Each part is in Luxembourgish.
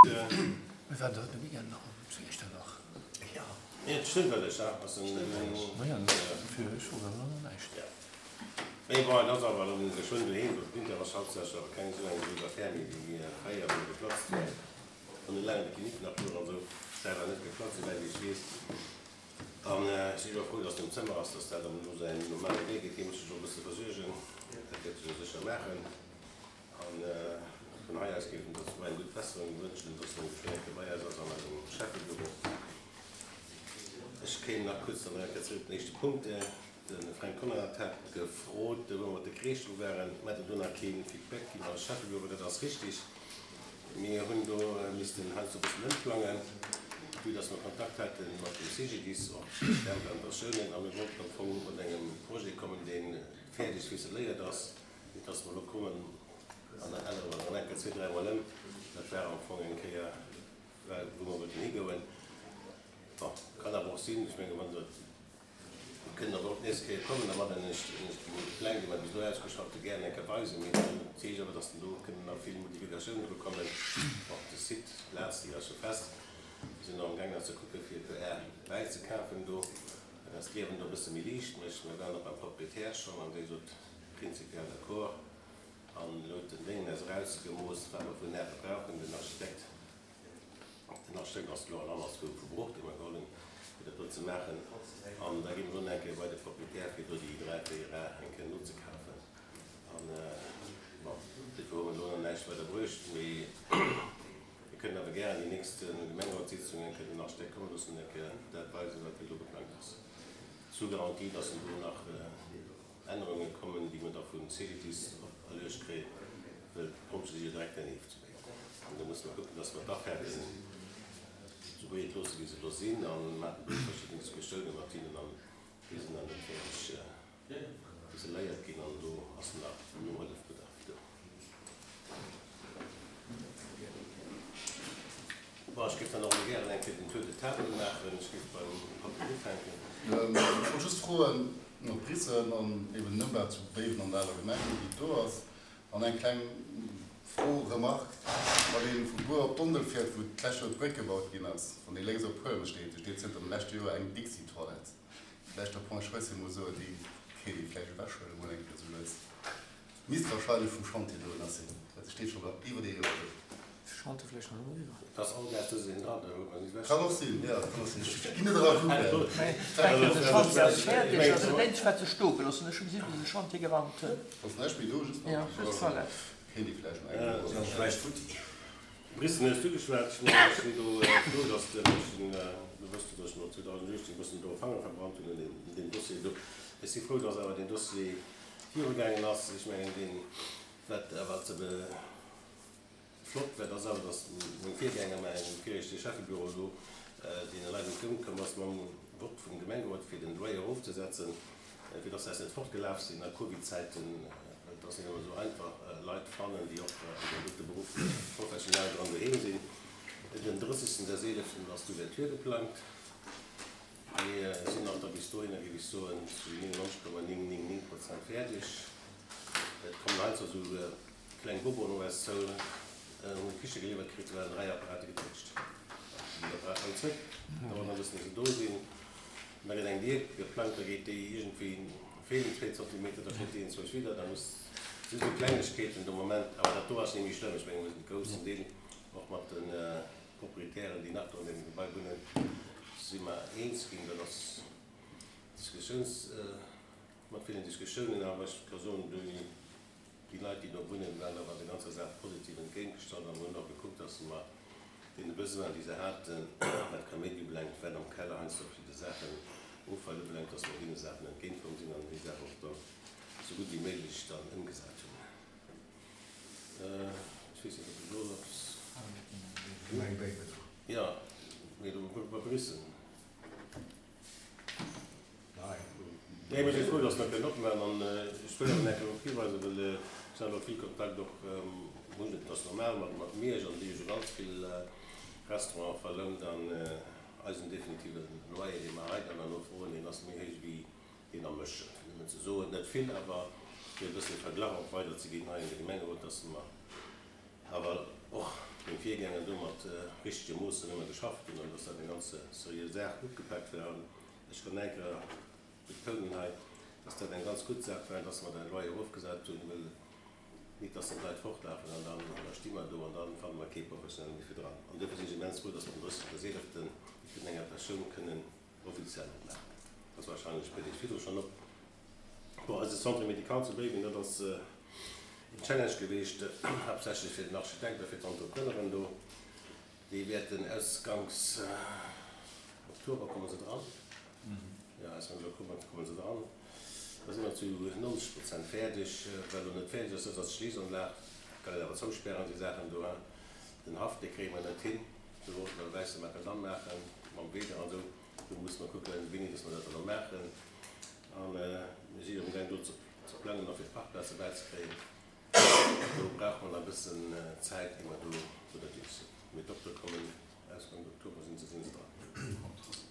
Mir waren de Weekend nach zu Iechternach. An vun hei aus géif en der zwou eng gutt Besserung wënschen, dass en geschwënn eng Kéier bei eis ass an eisem Schäffebüro. Ech kéim nach kuerz dann eng Kéier zréck op den éischte Punkt. De Fränk Conrad hat gefrot, wou mer mat de Kreesch dru waren. Mer hätten do nach kee Feedback ginn als Schäffebüro. Dat ass richtig. Mir hunn do missten heiansdo e bëssen ëmplangen, vue dass mer Kontakt hate mat dem CGDIS, och d'Implantatioune. A mir wollten am Fong mat engem Projet kommen, dee fäerdeg ficeléiert ass. Nit dass mer elo kommen an dann ännere mer nach eng Kéier zwee, dräimol ëm. Dat war am Fong eng Kéier, wou mer wollten higoen. Bon, kann awer och sinn, ech menge wann Der, mir kënnen awer och d'nächst Kéier kommen, da mat ech Iech déi Pläng, déi mer bis elo ausgeschafft hunn, gären eng Kéier weisen. Mee dat heescht awer, dass dann do kënnen nach vill Modifikatiounen dru kommen. Bon, de Site, d'Plaz, déi ass jo fest. Mir sinn och amgaang nach ze kucke fir e puer Ar bäizekafen do, dat d'Liewen do e bësse méi liicht mécht. Mir waren och beim Proprietär schonn an dee sot, Prinzipiell d'accord. An elo huet den Déngen eis erausgemooss, wat mer vun Äre brauchen. Den Architekt, den Architekt ass elo an anderswou vu Bruch, dee mer geholl hunn, fir dat do ze maachen. An da gi mer elo nach eng Kéier bei de Proprietär, fir do déi 3, 4 Ar eng Kéier nozekafen. An, bon, dofir hu mer elo nach näischt weider bruecht. Mee mir kënnen awer gären déi nächst Gemengerotssitzung eng Kéier den Architekt komme loossen an eng Kéier dat weisen, wat elo geplangt ass. Sous Garantie, dass en do nach Ännerunge kommen, déi mer da vum CGDIS operluecht kréien, well d'Pompjee si jo direkt dernieft. An do musse mer kucken, dass mer d'Afaarten esou breet loosse wéi se elo sinn a mer haten do verschidden Diskussioune mat hinnen an déi sinn nach net fäerdeg ficeléiert ginn an do ass nach Nohëllefbedarf do. Bon, ech géif dann och elo gären eng Kéier den Tour de table maachen. Ech géif beim Patrick ufänken. Ech wollt just froen no Bissen an eben den Ëmbau zu Béiwen an der aler Gemeng, wéi et do ass. An eng kleng Fro, Remarque, Wann ee vu Bur op Dondel fiert, wou d'lescht Joer d'Bréck gebaut ginn ass, wann ee lénks op Huelmes steet, do steet zënter dem leschte Joer eng Dixi-Toilette. Vläicht der Point Schwëssi mol soen, déi kéint ee vläicht ewechhuelen mol eng Kéier esou lues. Misst wahrscheinlech vum Chantier do ënner sinn, well se steet scho iwwer ee Joer do. Chantier vläicht nach net eriwwer. Et ass all Dag dësen een dran, da huet mer ni ewech. Kann och sinn, jo, kann och sinn. Ech ginn net era kucken. De Chantier ass fäerdeg, ass dat eenzegt wat se stoe gelooss hunn. Ech hu gesinn, wéi se de Chantier geraumt hunn. Ass näischt méi do, just nach déi Toilette. Kéint ee vläicht nach eng Kéier. Brissen hues du geschwat. Ech mengen, ech sinn do frou, dass de mech, du wësst jo, dass ech mer 2018 e bëssen do Fanger verbrannt hunn un deem Dossier do. Ech si frou, dass awer deen Dossier virugaangen ass. Ech mengen, deen, wat awer ze be flott war, dat ass awer, dass meng Virgänger, mäin viregte Schäffebüro do deene Leit entgéintkomm ass mam Vott vum Gemengerot, fir den Loyer erofzesetzen, fir dass se eis net fortgelaf sinn a Covid-Zäiten. Well et ass net ëmmer esou einfach, Leit fannen, déi och an deem dote Beruff professionell dran doheem sinn. Den 30. des 11. ass d'Ouverture geplangt. Mir sinn och da bis dohinner, géif ech soen, zu 99,999 Prozent fäerdeg. Et kommen heiansdo esou kleng Boboen op eis zou, hunn d'Kiche geliwwert kritt, do waren 3 Apparate getéitscht. Déi Apparaten all zréck, dauert nach e bëssen, bis se do sinn. An da gëtt eng Dier geplangt, da geet déi iergendwéi, feelen zwee Zentimeter, da feelt déi enzwousch wieder, da muss, si sou Klengegkeeten de Moment, awer dat do ass net méi schlëmm. Ech menge mir sinn de groussen Deel och mat de Proprietären, déi nach do an deem Gebai wunnen, si mer eens ginn. Dat ass Diskussiouns, mat villen Diskussiounen, awer ech ka soen, déi Leit, déi do wunnen, waren awer der ganzer Saach positiv entgéintgestallt an hunn och gekuckt, dass se mer deene Besoinen, déi se haten, wat Kaméidi ubelaangt, wat am Keller heiansdo verschidde Saachen, Offall ubelaangt, dass mer deene Saachen entgéintkomm sinn an déi Saach och dann esou gutt wéi méiglech dann ëmgesat hunn. Ech weess net, ob ech elo nach eppes. Gemeng Béiwen. Jo, mee do bei Biissen. Nee, mir si frou, dass mer kënnen opmaachen. An ech wëll awer nach eng Kéier drop hiweisen, well ech hat och vill Kontakt och, hunn, et ass normal, mat mat Miersch an déi hu jo ganz vill Restauranten verlount. An eisen definitive Loyer, dee mer hei dann herno froen, deen ass méi héich wéi deen am Mëschen. Fir nëmmen ze soen, net vill, awer fir e bëssen e Verglach och weiderzeginn hei an de Gemengerot, dass mer awer och. Meng Virgänger do mat richtege Moossen ëmmer geschafft hunn an dass dat eng ganz seriö Saach ugepak war. An ech kann eng Kéier betounen hei, dass dat eng ganz gutt Saach war, dass mer de Loyer erofgesat hunn, well nit dass dann d'Leit fortlafen an dann da sti mer do an dann fanne mer kee Professionelle méi fir dran. An duerfir sinn ech immens frou, dass mer den 30.11. déi vun enger Persoun kënnen offiziell opmaachen. Dat ass wahrscheinlech e puer Deeg virdru schonn op. Bon, eise Centre médical zu Béiwen, dat ass een Challenge geweecht, haaptsächlech fir den Architekt a fir d'Entrepreneuren do. Déi wäerten ausganks Oktober komme se dran. Jo, ausganks Oktober komme se dran. Da si mer zu 90 Prozent fäerdeg. Wat elo net fäerdeg ass, dat ass d'Schleesanlag. Kann een awer zouspären, déi Saachen do. Den Haff, dee kréie mer net hin. Do wollte mer e wäisse Makadamm maachen, mam Wieder an esou. Do musse mer kucken, wéini dass mer dat dann elo maachen. A mir si jo amgaang do ze plangen a fir d'Parkplaze bäizekréien. Do brauche mer nach e bëssen Zäit, ier mer do ënnerweegs sinn. Mee d'Doktere kommen, Ausgangs Oktober sinn se sinn se dran.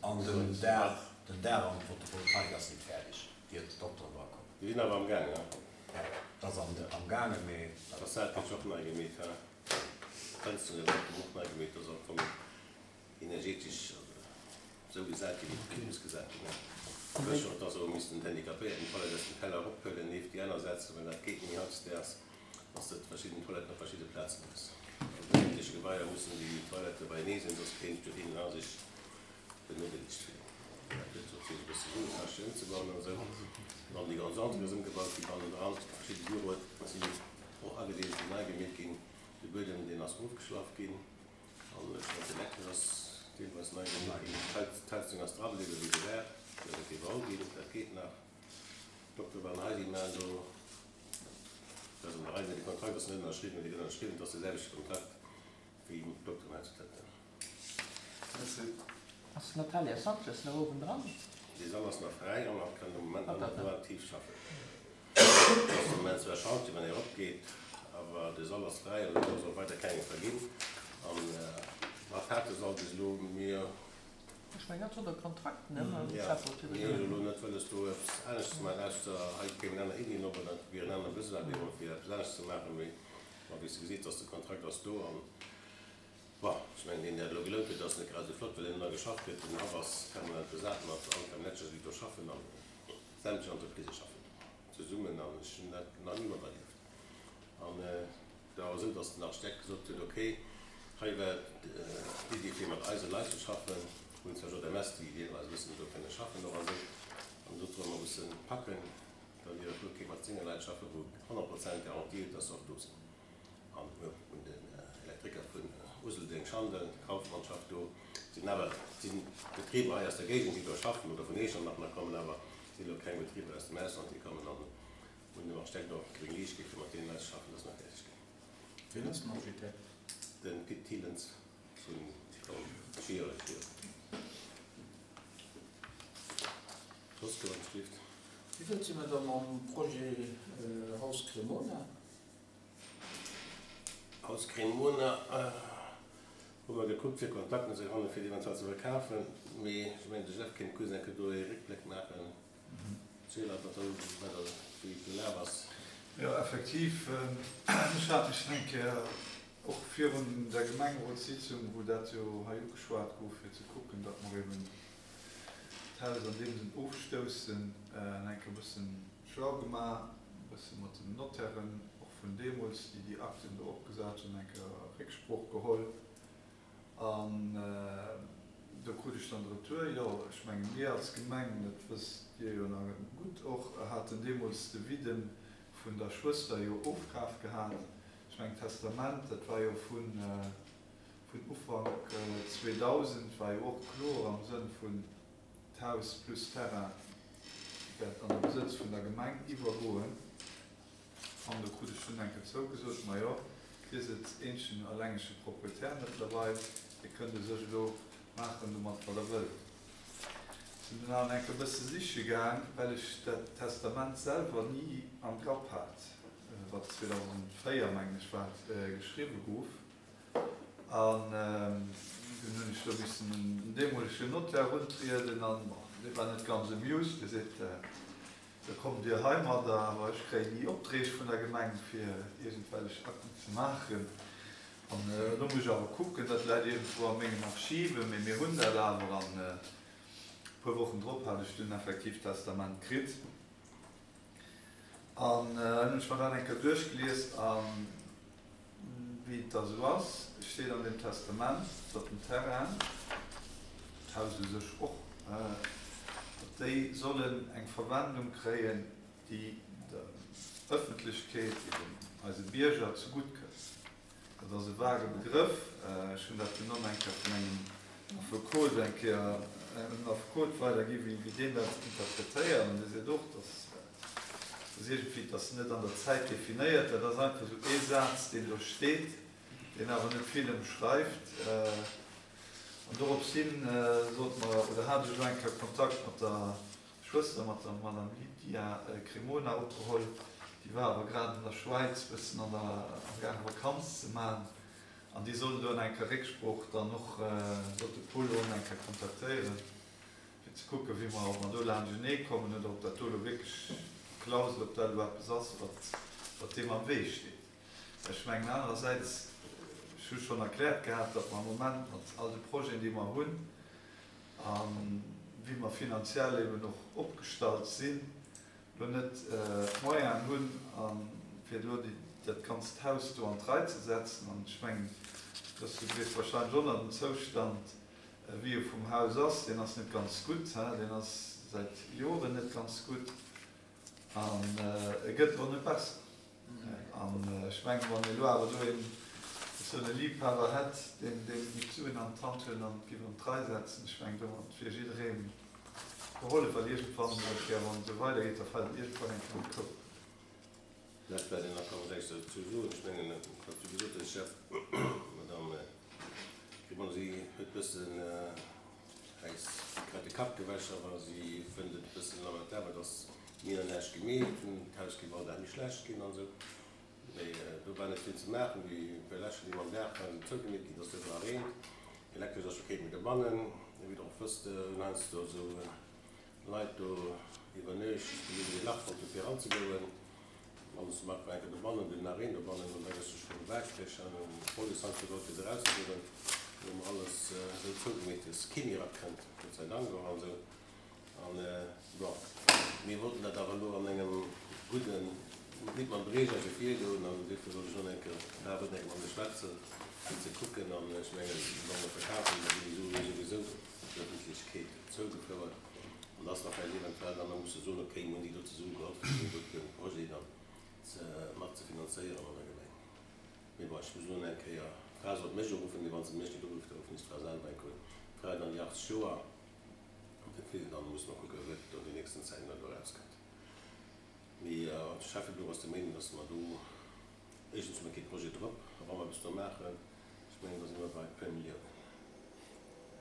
An den Daach, den Daach an d'Photovoltaik ass net fäerdeg, ier d'Dokteren dra kommen. Déi sinn awer amgaang, ne? Jo, dat ass amgaangen, mee. D'Fassad gëtt jo och nei gemeet, he? D'Fënsteren ginn och nei gemeet, dat ass am Fong energetesch esou gesat ginn, wéi et muss gesat ginn. Ech hunn och soe missen, d'Handicapéierten d'Toilette aus dem Keller erophuelen, nieft déi aner setzen, well dat geet net méi hautdesdaags, dass de verschidden Toiletten op verschidde Plazen hues. An den ëffentleche Gebaier mussen déi Toilettë beienee sinn, soss kéint dohinner a sech benodeelegt fillen. Dat huet natierlech e bësse Suen kascht, fir ëmzebauen an esou. An déi ganz Entrée ass ëmgebaut ginn, bannendran verschidde Büroe sinn och agedeelt ginn, nei gemeet ginn. De Buedem, deen ass ofgeschlaff ginn. An ech mengen d'Elektresch ass deelweis nei gemaach ginn. D'Heizung ass dra bliwwen, wéi se war. Dat ass iwwerall ginn, dat geet nach. D'Doktere waren hei, déi maachen do, dat ass an der Rei, mee de Kontrakt ass net ënnerschriwwen, mee dee gëtt ënnerschriwwen, et ass de selwechte Kontrakt wéi d'Dokteren hei zu Tënten. Merci. Ass d'Natalia Sanchez nach uewen dran? Dee Sall ass nach fräi an kann de Moment nach net aktiv schaffen. Et ass de Moment zwar Chantier, wann ee eropgeet, awer de Sall ass fräi an elo ass och weider keng verginn. An wat hat de Sall bis elo? Mir. Ech mengen, dat sot e Kontrakt, ne, mam Schäfferot iwwer. Mir hunn elo net wëlles do eppes anescht ze maachen, ausser hei kéimen aner Iddien op oder et wier en anere Besoin deemol fir eppes anescht ze maachen. Mee ma wéi s de gesitt, ass de Kontrakt ass do an, bon, ech mengen deen, deen dat elo gelount huet, ass net grad esou flott, well deen ëmmer geschafft huet. Den Haff ass permanent besat mat Anker Manager, déi do schaffen an. Sämtlech Entreprisë schaffen zesummen an ech hunn dat nach ni materlieft. An et war och esou, datt den Architekt gesot huet, okay, hei war d'Iddi fir mat eise Leit ze schaffen, mir hunn zwar JMS, déi deelweis e bëssen do kënne schaffen och a sou, an do solle mer e bësse packen, da wier et gutt, kéint mat senge Leit schaffen, wou 100 Prozent Garantie huet, datt se och do sinn. An mir hunn den Elektriker vun Useldeng, Schandel, Kaufmann schafft do. Et sinn awer, et si Betriber hei aus der Géigend, déi do schaffen, oder vun Eechernach nach kommen, awer et sinn elo keng Betriber aus dem Ausland, déi kommen an hunn dem Architekt och gréng Liicht gi fir mat deenen Leit ze schaffen, dass mer fäerdeg ginn. Wien ass den Architekt? De Pit Thielens vun Schierech, jo. Soss gouf eppes gelift. Wéi wäit si mer da mam Projet Haus Cremona? Aus Cremona hu mer gekuckt fir Kontakten ze fannen fir et eventuell ze verkafen, mee ech mengen de Jeff kéint kuerz eng Kéier do ee Réckbléck maachen, ziel eis wat do wat do wéi et gelaf ass. Jo effektiv, ech hat mech eng Kéier och virun der Gemengerotssitzung, wou dat jo hei ugeschwat gouf, fir ze kucken, datt mer eben d'Haus an deem Sënn ofstoussen, eng Kéier e bëssen schlau gemaach, e bësse mat den Notairen och vun deemools, déi déi Akten do opgesat hunn, eng Kéier Récksprooch geholl. An do krut ech dann de Retour, jo, ech menge mir als Gemeng, dat wësst Dir jo nach gutt och, haten deemools de Vidde vun der Schwëster jo ofkaf gehat. Ech mengen d'Testament, dat war jo vun Ufank 2000, war jo och kloer am Sënn vun, D'Haus plus Terrain wäert an de Besëtz vun der Gemeng iwwergoen. An do krut ech dunn eng Kéier zougesot, Majo, Dir sidd eenzegen allengege Proprietär mëttlerweil, Dir kënnt u sech elo maachen domat, wat Der wëllt. Sinn dunn awer eng Kéier e bësse siche gaang, well ech dat Testament selwer ni am Grapp hat, wat 2004, mengen ech, war et, geschriwwe gouf. An dunn hunn ech do missen un den deemolegen Notaire runtrieden an, bon, dee war net ganz amused. Dee seet, Da kommt Dir heimadder, awer ech kréien ni Opträg vun der Gemeng fir iergendwellech Akten ze maachen. An elo muss ech awer kucken, dat läit iergendwou a mengen Archiven, mee mir hunn dat awer. An e puer Wochen drop hat ech dunn effektiv d'Testament kritt. An hunn ech mer dat eng Kéier duerchgelies. A wéi et da sou ass, steet an deem Testament, datt den Terrain, d'Haus u sech och, datt déi sollen eng Verwendung kréien, déi der Ëffentlechkeet, eben eise Bierger, zegutt kënnt. Dat ass e vage Begrëff. Ech hunn dat dunn och eng Kéier vun engem Affekot eng Kéier un en Affekot weidergi wéi deen dat interpretéiert. An dee seet och, dass ass iergendwéi, et ass net an der Zäit definéiert, dat ass einfach esou ee Saz, deen do steet, deen awer net vill ëmschreift. An dorops hin sot mer, oder hat ech elo eng Kéier Kontakt mat der Schwëster, mat der Madame Lydia Cremona opgeholl, déi war awer grad an der Schwäiz bëssen an der amgaange Vakanz ze man an déi soll elo eng Kéier Récksprooch dann och, sollt de Paul elo eng Kéier kontaktéieren, fir ze kucken, wéi mer, ob mer do laanschtenee kommen oder ob dat do elo wierklech d'Klausel, ob dat elo eppes ass, wat, wat deem am Wee steet. Ech mengen anerersäits, ech hu schonn erkläert gehat, datt mer am Moment mat all de Projeten, déi mer hunn, A wéi mer finanziell eben och opgestallt sinn, elo net d'Moyenen hunn, fir elo dat ganzt Haus do an d'Rei ze setzen. An ech mengen, dass du weess wahrscheinlech och nach den Zoustand, wéi e vum Haus ass, deen ass net ganz gutt, deen ass säit Joren net ganz gutt an e gëtt och net besser. An ech mengen, wann ee lo awer do een esou e Liebhaber hätt, deen deem déi Suen an d'Hand huet an et giff an d'Rei setzen, ech mengen, domat wier jiddereem gehollef, well iergendwann eng Kéier, wann et esou weidergeet, da fält et iergendwann eng Kéier an de Koup. Dat war den Accord, wat ech dozou soen. Ech mengen, wat du gesot hues, Jeff, d'Madame Cremant, si huet e bëssen äis grad de Kapp gewäsch, awer si fënnt et e bëssen lamentabel, dass Mir hunn näischt gemeet, hunn d'Haus géif all Dag méi schlecht ginn an esou. Mee do war net vill ze maachen. Déi puer Lächer, déi mer am Daach waren, sinn zougemeet ginn, et ass duerno erreent. Elektresch ass scho keen méi dobannen. Wéi Der och wësst, hunn heiansdo esou Leit do iwwer Nuecht déi hunn ee Lach fonnt, fir eranzegoen. Alles mat war enke dobannen, dunn nach een dobannen an da gëss du scho waakreg an hunn d'Police heiansdo geholl fir se erauszehuelen. Do hu mer alles esou zougemeet, dass kee méi erakënnt, Gott sei Dank och an esou. An, bon, mir wollten dat awer elo an engem gudden, nit mam Breger esou virgoen, an duerfir wollt ech elo eng Kéier, d'Fra wëllt eng Kéier mat mir schwätzen, fir ze kucken. An ech mengen, wa mer verkafen, da ginn déi Sue souwisou der Ëffentlechkeet zougefouert. An da ass nach vläicht eventuell dann, da musse soen, okay, mir hunn déi dote Sue geholl, fir deen dote Projet dann ze mat ze finanzéieren an der Gemeng. Mee bon, ech muss elo eng Kéier, d'Fra sollt mech uruffen, mee wa se mech net urifft, da ruffen ech d'Fra selwer eng Kéier un. D'Fra huet an déi 80 Joer. Dofir dann musse mer kucken, wat an den nächsten Zäiten dann do erauskënnt. Mee de Schäffebüro ass der Meenung, dass mer do, éischtens hu mer kee Projet drop, a wa mer eppes do maachen, ech mengen, da si mer bei e puer Milliounen.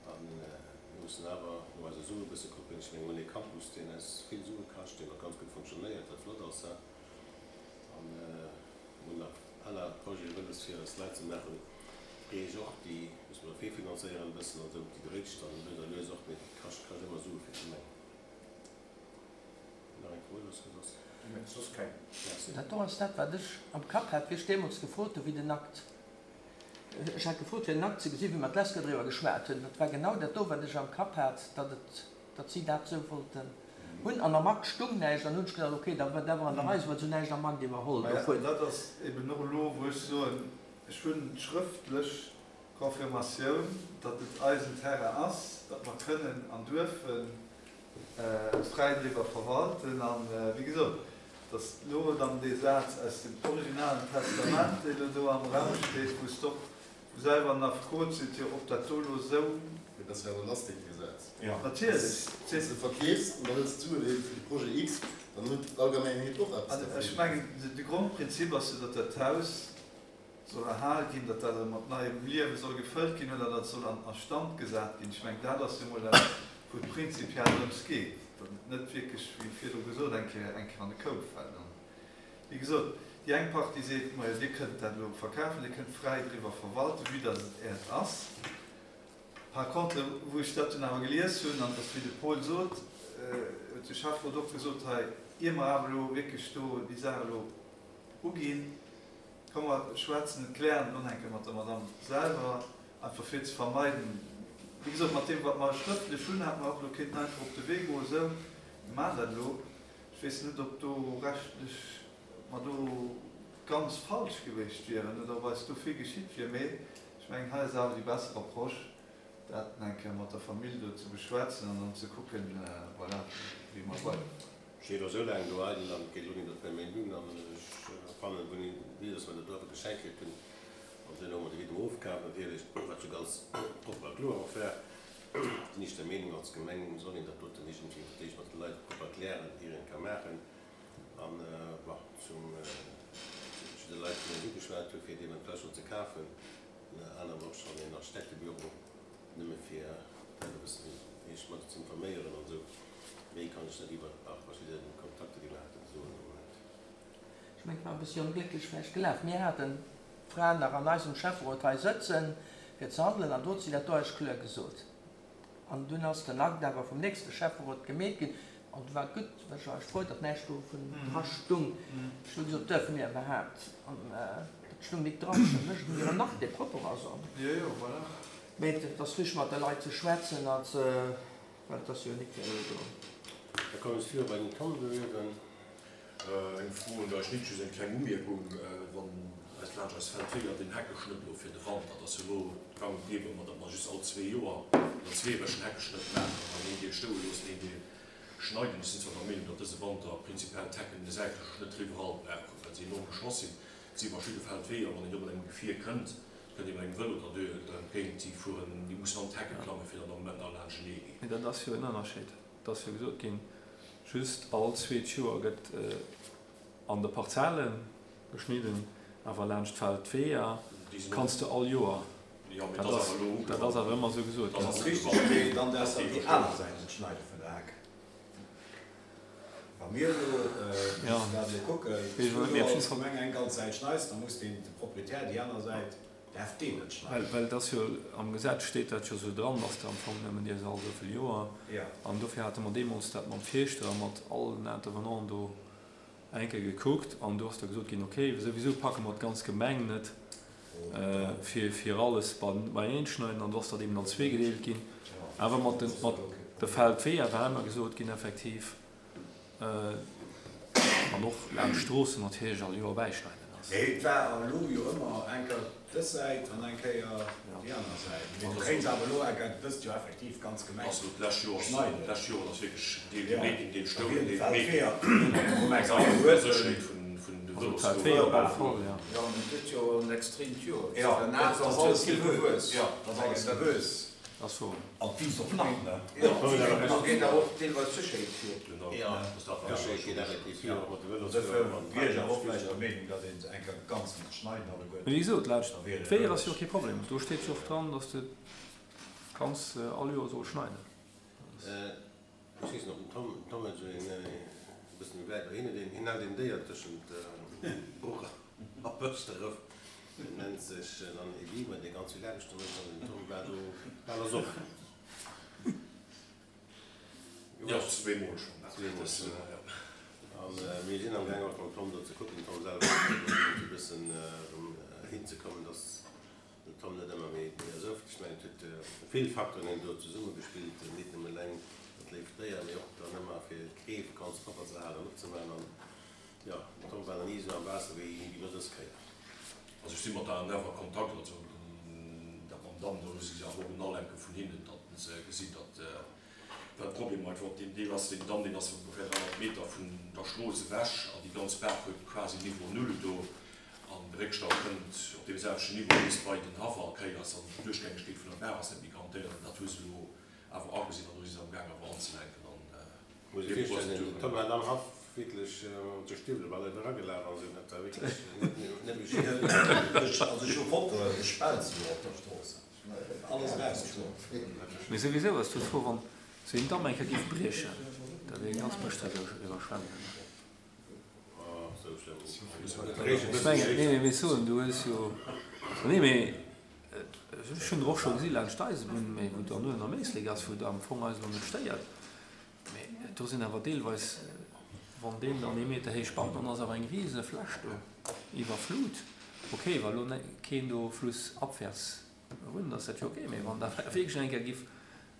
A mir mussen awer no eise Sue e bësse kucken. Ech mengen, mir hunn ee Campus, deen eis vill Sue kascht, deen och ganz gutt fonctionnéiert, wat flott ass. A mir hunn nach aner Projete wëlles, fir eis Leit ze maachen. D'Reech och, déi musse mer virfinanzéieren e bëssen an esou. Déi dréitscht dann lues a lues och, mee dat kascht kascht ëmmer Sue fir d'Gemeng. Nach eng Fro oder soss? Soss keng. Merci. Dat do ass dat, wat ech am Kapp hat, wéi ech deemools gefrot hu wéi den Akt, ech hat gefrot fir den Akt ze gesinn, wéi mer d'lescht Kéier driwwer geschwat hunn. Dat war genau dat do, wat ech am Kapp hat, datt et, datt si dat esou wollten hunn. An am Akt stung näischt an hunn ech gedacht, okay, da war dat awer an der Rei, se huet esou näischt am Akt iwwerholl Maja, dovun. dat ass eben och elo, wou ech soen, Ech hunn d'schrëftlech Confirmatioun, datt et eisen Terrain ass, datt mer kënnen an duerfen fräi driwwer verwalten. A wéi gesot, datt elo dann dee Saz aus dem originalen Testament, deen elo do am Raum steet, wou s de och selwer en Affekot seet, jo, ob dat do elo esou. Mee dat ass jo awer e Lastik, dee Saz. Natierlech. Wann s de verkeefs an da hëls d'Suen eben fir de Projet X, dann huet d'Allgemengheet och eppes dervun. Ech mengen, de Grondprinzip ass jo, datt dat Haus soll erhal ginn, datt dat erëm mat neiem Liewe soll gefëllt ginn oder datt et soll an a Stand gesat ginn. Ech mengen, dat ass jo emol dat, wou et prinzipiell drëms geet, datt et net wierklech, wéi virdru gesot, eng Kéier eng Kéier an de Koup fält. An, wéi gesot, déi eng Partie seet, Majo, Dir kënnt dat elo verkafen, Dir kënnt fräi driwwer verwalten, vue datt et Äert ass. Par contre, wou ech dat dunn awer gelies hunn, an et ass wéi de Paul sot, huet de Schäfferot och gesot hei, ier mer awer elo wierklech do déi Saach elo uginn. Komm mer schwätzen et, klären et elo nach eng Kéier mat der Madame selwer, einfach fir ze vermeiden, wéi gesot, mat deem wat mer schrëftlech hunn, hätte mer och elo kéinten einfach op de Wee goen, esou, mir maachen dat elo. Ech weess net, ob do rechtlech, ob mer do ganz falsch gewiescht wieren oder ob eis do vill geschitt wier, mee ech mengen, hei ass awer déi besser Approche, dat nach eng Kéier mat der Famill do ze beschwätzen an dann ze kucken, voilà, wéi mer weiderfueren. Steet elo sou laang do eidel an et geet elo net op méi Méint un an ech fannen wou ni dass mer dat do awer geschenkt kritt hunn an duerno hu mer de Widdem ofkaf natierlech, wat jo ganz propper a kloer och war, sinn ech der Meenung als Gemeng soll een dat doten iergendwéi fir d'éischt mat de Leit propper klären ier een et ka maachen an bon zum zu de Leit déi eis ugeschwat hu fir deementsprechend ze kafen, ënner anerem och schonn een Architektebüro. Nëmme fir d'Leit e bëssen iech mat ze informéieren an esou. Méi kann ech net iwwert nach verschidde Kontakter, déi mer haten, soen am Moment. Ech mengen, et war e bëssi onglécklech vläicht gelaf. Mir haten d'Fra nach an eisem Schäfferot hei sëtzen, fir ze handelen, an do huet si dat do eis kloer gesot. An dunn ass den Akt awer vum nächste Schäfferot gemeet ginn. An du war et gutt, well ech war frou, datt näischt dovun dra stung. Ech hu gesot, Duerfe mir iwwerhaapt? An dat stung nik dran. Ech hu gesot, Mir en Akt, dee propper ass. Jo, jo, voilà. Mee et ass richteg mat de Leit ze schwätzen a ze, well et ass jo nik fir elo do. Da kommen ech viru bei den Tom Goewen. Eng Fro un dech, Nic, just eng kleng Umierkung, Wann eis laanscht eis Feldweeër den Heckeschnëtt elo fir de Wanter, dat ass jo elo gang und gäbe, ma datt mer just all zwee Joer oder zweewéchen Heckeschnëtt maachen an een Deel stoe loossen, een Deel schneiden. Ech sinn zwar der Meenung, datt dëse Wanter prinzipiell d'Hecken de säitleche Schnëtt iwwerall brauchen, well se enorm geschloss sinn. Et si verschidde Feldweeër, wann een do mat engem Gefier kënnt, Kënnt ee mat engem Vëlo der entgéint, déi fueren, déi mussen an d'Hecke klammen, fir dann am Moment nach laanschtenee ginn. Mee dat ass jo en Ënnerscheed. Et ass jo gesot ginn, just all zweet Joer gëtt an de Parzelle geschnidden, awer laanscht d'Feld d'Weeër kanns de all Joer. Dat ass, dat ass awer ëmmer esou gesot ginn. Dat ass richteg, mee dann däerfs de déi aner Säit net schneide vun der Heck. Wa mir elo mussen dat elo kucken, wann du elo als Gemeng eng ganz Säit schneis, da muss deen, de Proprietär, déi aner Säit däerf deen net schneiden. Well et ass jo, am Gesetz steet dat jo esou dran, dass de am Fong nëmmen dierfs all esou vill Joer. An dofir hate mer deemools dat mam Fierschter a mat allen Intervenanten do eng Kéier gekuckt an do ass da gesot ginn, okay, souwisou packe mer d'ganz Gemeng net fir alles beieneen schneiden an do ass dat eben an zwee gedeelt ginn. Awer mat de mat de Feldweeër war ëmmer gesot ginn effektiv an och laanscht Stroossen natierlech all Joer bäischneiden ass. Mee et war elo jo ëmmer eng Kéier dës Säit an eng Kéier déi aner Säit. Mee du kéints awer elo eng Kéier dëst Joer effektiv d'ganz Gemeng Also d'lescht Joer ass schneiden. D'lescht Joer ass wierklech Deel gemeet ginn, Deel stoung, Deel gemeet ginn. Eng Sécherheet vun de Vëlosfuerer. Op alle Fall, jo. Jo, an et gëtt jo en extreemt Joer. Jo, dat ass alles gewuess. Jo, dat ass alles gewuess. Ass wouer. An d'Wiss och nach, ne? Jo, da geet awer och deelweis d'Sécherheet vir. Jo, d'Sécherheet geet effektiv vir, och mat de Vëlosfuerer. Dofir wier ech awer och vläicht der Meenung, datt een se eng Kéier ganz misst schneiden alleguerten. Mee wéi gesot, laanscht d'Weeër ass jo och kee Problem. Do steet jo och dran, datt s de kanns all Joer soll schneiden. Ech weess net, ob den Tom, den Tom huet esou een e bëssen méi wäit, hien huet een, hien hält een Déier tëschent Bruch a Bëschdref, deen nennt sech dann ee Biber, dee ganz vill Aarbecht do mécht an den Tom war do bal ersoff. Jo, zweemol schonn. Zweemol schonn, jo. A mir sinn am gaang och mam Tom do ze kucken, den Tom selwer och do e bëssen erëm hinzekommen, dass Den Tom net ëmmer méi esouft. Ech mengen, et huet vill Facteuren hunn do zesummegespillt, nit nëmme eleng dat léift Déier, mee och dann ëmmer fir d'Greef ganz propper ze halen an opzemaachen. An jo, den Tom war nach ni esou am Waasser wéi elo dës Kéier. Also ech si mat der ANF a Kontakt, also dat mam Damm, do hu si awer och en Alenke vun hinnen, datt se gesinn, datt well de Problem einfach op deem Deel ass, deen Damm deen ass ongeféier 300 Meter vun der Strooss ewech an déi ganz Baach huet quasi Niveau Null do. An de Réckstau kënnt op deem selwechten Niveau bis bei den Haff all Kéiers an d'Duerchgängegkeet vun der Baach ass net méi garantéiert. An dat hu se elo awer agesinn an do si se am Gaang awer anzelenken an Muss ech virstellen, den Tom hat am Haff wierklech mat de Stiwwele bal eragelaaf an esou, dat war wierklech net méi schéin. Also ech hu Fotoen, de Spelz elo op der Strooss, alles erausgeschloen. Mee souwisou ass do d'Fro, wann sou een Damm eng Kéier géif briechen, da wier ganz Bëschdref iwwerschwemmt. Ech mengen, nee, mee ech soen, du hues jo, nee, mee ech hunn der och scho gesi laanscht d'Eisebunn, mee wou dann uewen am Éislek ass, wou et am Fong eis elo net stéiert, mee do sinn awer deelweis, wann deen dann ee Meter héich baut, dann ass awer eng rise Fläch do iwwerflut. Ok, wa lo keen do flussabwärts wunnt, ass dat jo ok, mee wann da wierklech eng Kéier giff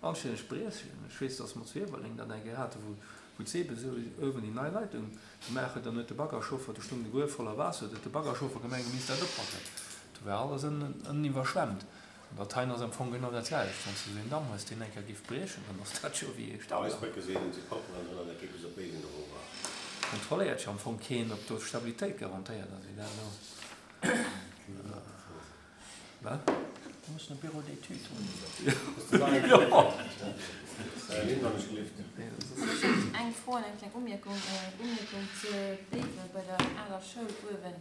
anstänneg briechen, ech weess, dass mer zu Iewerleng dat eng Kéier haten, wou wou d'Sebe esou uewen déi nei Leitung gemaach huet, dann huet de Baggerchauffer, do stoung de Gruef voller Waasser, huet de Baggerchauffer gemengt, e misst dat oppacken, do war alles ënnen iwwerschwemmt. An dat heien ass am Fong genau dat selwecht, wann s de esou een Damm hues, deen eng Kéier géif briechen, dann ass dat jo wéi ee Staudamm. Eis Brécke sinn si propper an dat geet bis op Béiwen erover. Kontrolléiert jo am Fong keen, ob do d'Stabilitéit garantéiert ass, wéi dat elo. Wat? Do muss en e Bureau d'études hunn. Ech hunn eng Fro an eng kleng Umierkung. Umierkung zu Béiwe bei der aler Schoul uewen.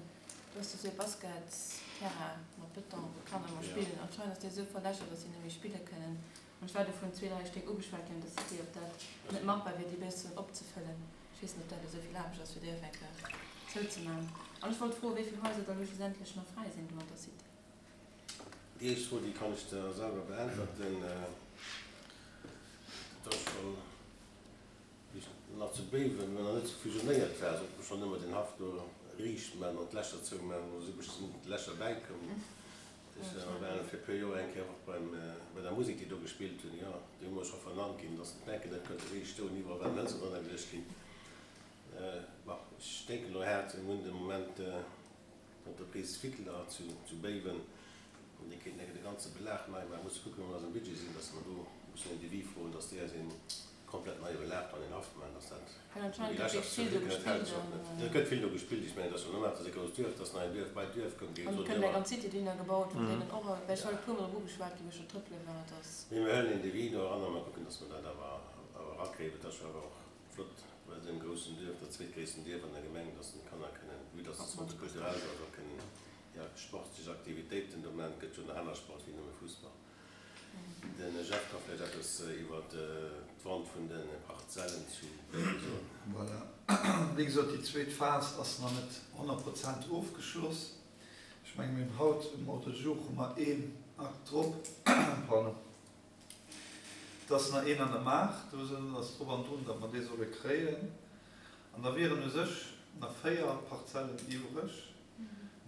Do ass jo esou e Basketsterrain mat Beton, wou d'Kanner ëmmer spillen. Anscheinend ass dee esou verlächert, datt si net méi spille kënnen. An ech war do vun zwee, dräi Stéck ugeschwat ginn, datt si, ob dat net machbar wier, déi bëssen opzefëllen. Ech weess net, ob dat esou vill Aarbecht ass, fir déi och eng Kéier zouzemaachen. An ech wollt froen, wéi vill Haiser da lo schlussendlech nach fräi sinn do an der Cité. Déi éischt Fro, déi kann ech der selwer beäntwerten. Dat ass schonn, wéi ech nach zu Béiwen, mä nach net fusionéiert war, sollt mer schonn ëmmer den Haff do riicht man an d'Lächer zouman, do si bestëmmt Lächer bäikomm. Ech war fir e puer Joer eng Kéier och beim, bei der Musek, déi do gespillt hunn, jo, déi hu mer scho vernannt ginn, dass d'Bänken net konnte riicht stoen, iwwerall waren Hëlzer drënner geluecht ginn. Bon, ech denken elo haart, mir hunn de Moment d'Entreprise Wickler zu, zu Béiwen, an déi kéinten enke de ganze Belag nei maachen. Musse kucken, wou mer eisem Budget sinn, dass mer do mussen en Devis froen, dass déi eis een komplett neie Belag do an den Haff maachen, dass dat Well anscheinend gëtt wierklech vill do gespillt an. Et gëtt vill do gespillt. Ech mengen, et ass jo normal, et ass e grousst Duerf, et ass nei Duerf bei d'Duerf koum, déi An et kënnt eng ganz Cité dohinner gebaut, wou deenen och, well ech war e puer mol drop ugeschwat ginn, wou ech do trëppele war, dass. Mee mir huelen een Devis do eran a mer kucken, dass mer dat awer erakréien. Et ass jo awer och flott bei esou engem groussen Duerf, dat zweetgréissten Duerf an der Gemeng, dass den d'Kanner kënnen, vue dass de Centre culturel do ass, och kënnen, ja, sportlech Aktivitéiten do maachen. Et gëtt jo nach aner Sport wéi nëmme Fussball. Den Jeff ka vläicht eppes iwwer d'Vente vun de Parzellen zu Béiwe soen. Voilà. Wéi gesot, déi zweet Phas ass nach net 100 Prozent ofgeschloss. Ech menge mir hunn haut um Ordre du jour hu mer een Akt drop, pardon, et ass nach een an der Maach, do ass drop an drun, datt mer dee solle kréien. An da wieren u sech nach 4 Parzellen iwwreg.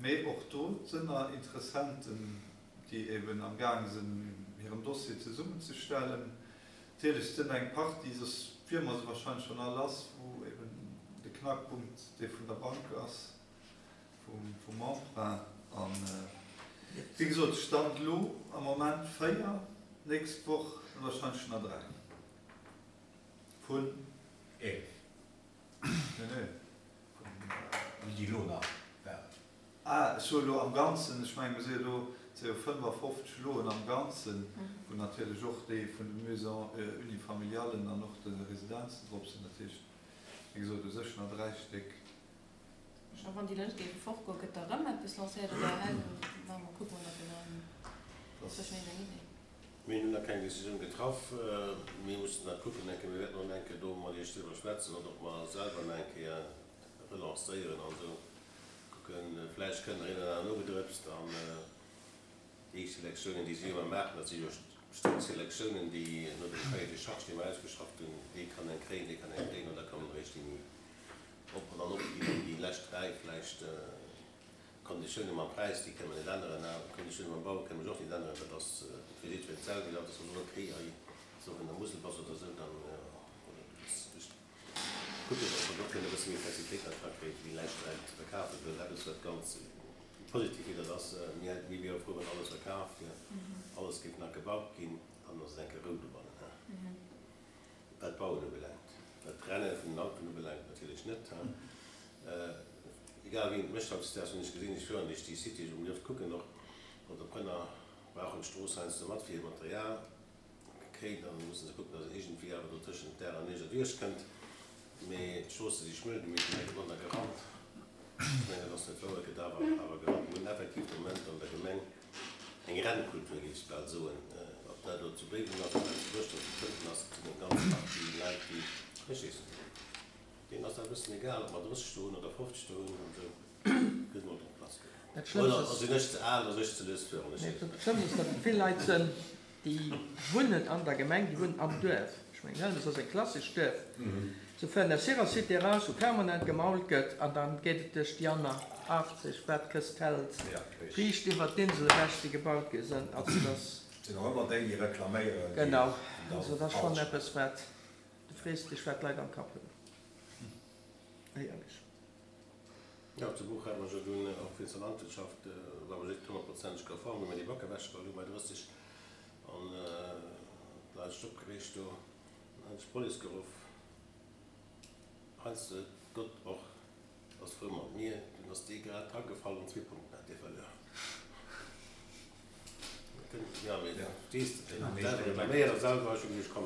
Mee och do sënn nach Interessenten, déi eben am gaange sinn, hiren Dossier zesummenzestellen. Natierlech sënn eng Partie, soss wier mer se wahrscheinlech schonn all lass, wou eben de Knackpunkt dee vun der Bank ass, vum Emprunt. An, wéi gesot, Stand elo am Moment 4, d'nächst Woch wahrscheinlech nach 3 vun 11. Nee, nee. Vun déi elo nach waren. Ah, ech soe elo am Ganzen, ech mengen, mir si jo do, et si jo 55 Loen am Ganzen, wou natierlech och déi vun de Maisons unifamilialen an och de Residenzen drop sinn. Dat heescht, wéi gesot, u sech nach 3 Stéck. A wann déi Lëscht géife fortgoen, gëtt da rëm eppes lancéiert oder hei maache mer, kucke mer nach genau hin? Ass sécher eng Idee. Mir hunn nach keng Decisioun getraff. Mir mussen dat kucken eng Kéier. Mir wäerten och nach eng Kéier do mat Iech driwwer schwätzen oder ob mer selwer nach eng Kéier relancéieren an esou kucken. Vläicht kënnt nach een oder aner nogedrëpst. An déi éischt Selektiounen, déi si ëmmer maachen, dat si jo strikt Selektiounen, déi no dem Cahier de charges, dee mer ausgeschafft hunn, dee kann eng kréien, dee kann eng kréien, an da kommen eréischt déi méi op an dann opginn, déi lescht dräi vläicht. D'Konditioune mam Präis, déi kënne mer net änneren. A d'Konditioune mam Bau kënne mer och net änneren. Dat ass fir jiddwereen d'selwecht. An dass mer soen, okay, hei ass och un der Musel bass oder esou, dann, oder du bass, ech kucken, ob mer do kënne e bësse méi Flexibilitéit nach drakréien, fir déi lescht Dräi ze verkafen. Well eppes, wat ganz positiv wier, dat ass, mir hätten, mir wiere frou, wann alles verkaf wier, alles géif nach gebaut ginn, dann ass et eng Kéier Rou dobannen. Wat d'Bauen ubelaangt. Wat d'Renne vun den Autoen ubelaangt natierlech net. Egal wéi een et mécht hautdesdaags, hunn ech gesinn, ech fueren duerch déi Cité, ech hunn oft kucken och, d'Entreprenner brauchen d'Strooss heiansdo mat fir hiert Material. Okay, da musse se kucken, datt een iergendwéi awer do tëschent Dag an Nuecht erduerch kënnt. Mee d'Stroosse si schmuel, déi meescht Leit ginn manner gerannt. Ech mengen, dat ass net wouer, et gëtt awer awer gerannt. Mir hunn effektiv de Moment an der Gemeng eng Rennkultur, géif ech bal soen. Ob dat elo zu Béiwen ass, ob dat zu Buerschdref, zu Fënten ass, et sinn eng ganz Partie Leit, déi, ech weess net, deenen ass dat e bëssen egal, ob mer 30 do hunn oder 50 do hunn an esou. Gëtt emol drop lass gerannt. Dat Schlëmmst Oder sinn ech ze al oder sinn ech ze lues fueren? Ech weess et net. Dat Schlëmmst ass, datt et vill Leit sënn, déi wunnen an der Gemeng, déi wunnen am Duerf. Ech mengen, Helmes ass e klassescht Duerf. Se fueren aus hirer Cité eraus, wou permanent gemault gëtt, an dann geet et duerch déi aner 80, wat d'Këst hält, riicht iwwert d'Insel ewech, déi gebaut gi sënn. Also et ass. Et sinn och ëmmer déi, déi reklaméieren, déi Genau. Also et ass schonn eppes, wat, du frees dech, wat d'Leit am Kapp hunn. Éierlech. Jo, zu Buch hat mer jo dunn och wéinst der Landwirtschaft, war mer net honnertprozenteg konform, wéi mer déi Back ewechgeholl hunn bei 30 an d'Leit sech opgereegt do. Dann hat ech d'Police geruff. Heiansdo huet Gott och ass frou mat mir, dunn ass dee grad dragefall an zwee Punkten hat dee verluer. Jo, mee verstees de, deen huet selwer reklaméiert a selwer, ech hu gesot, komm,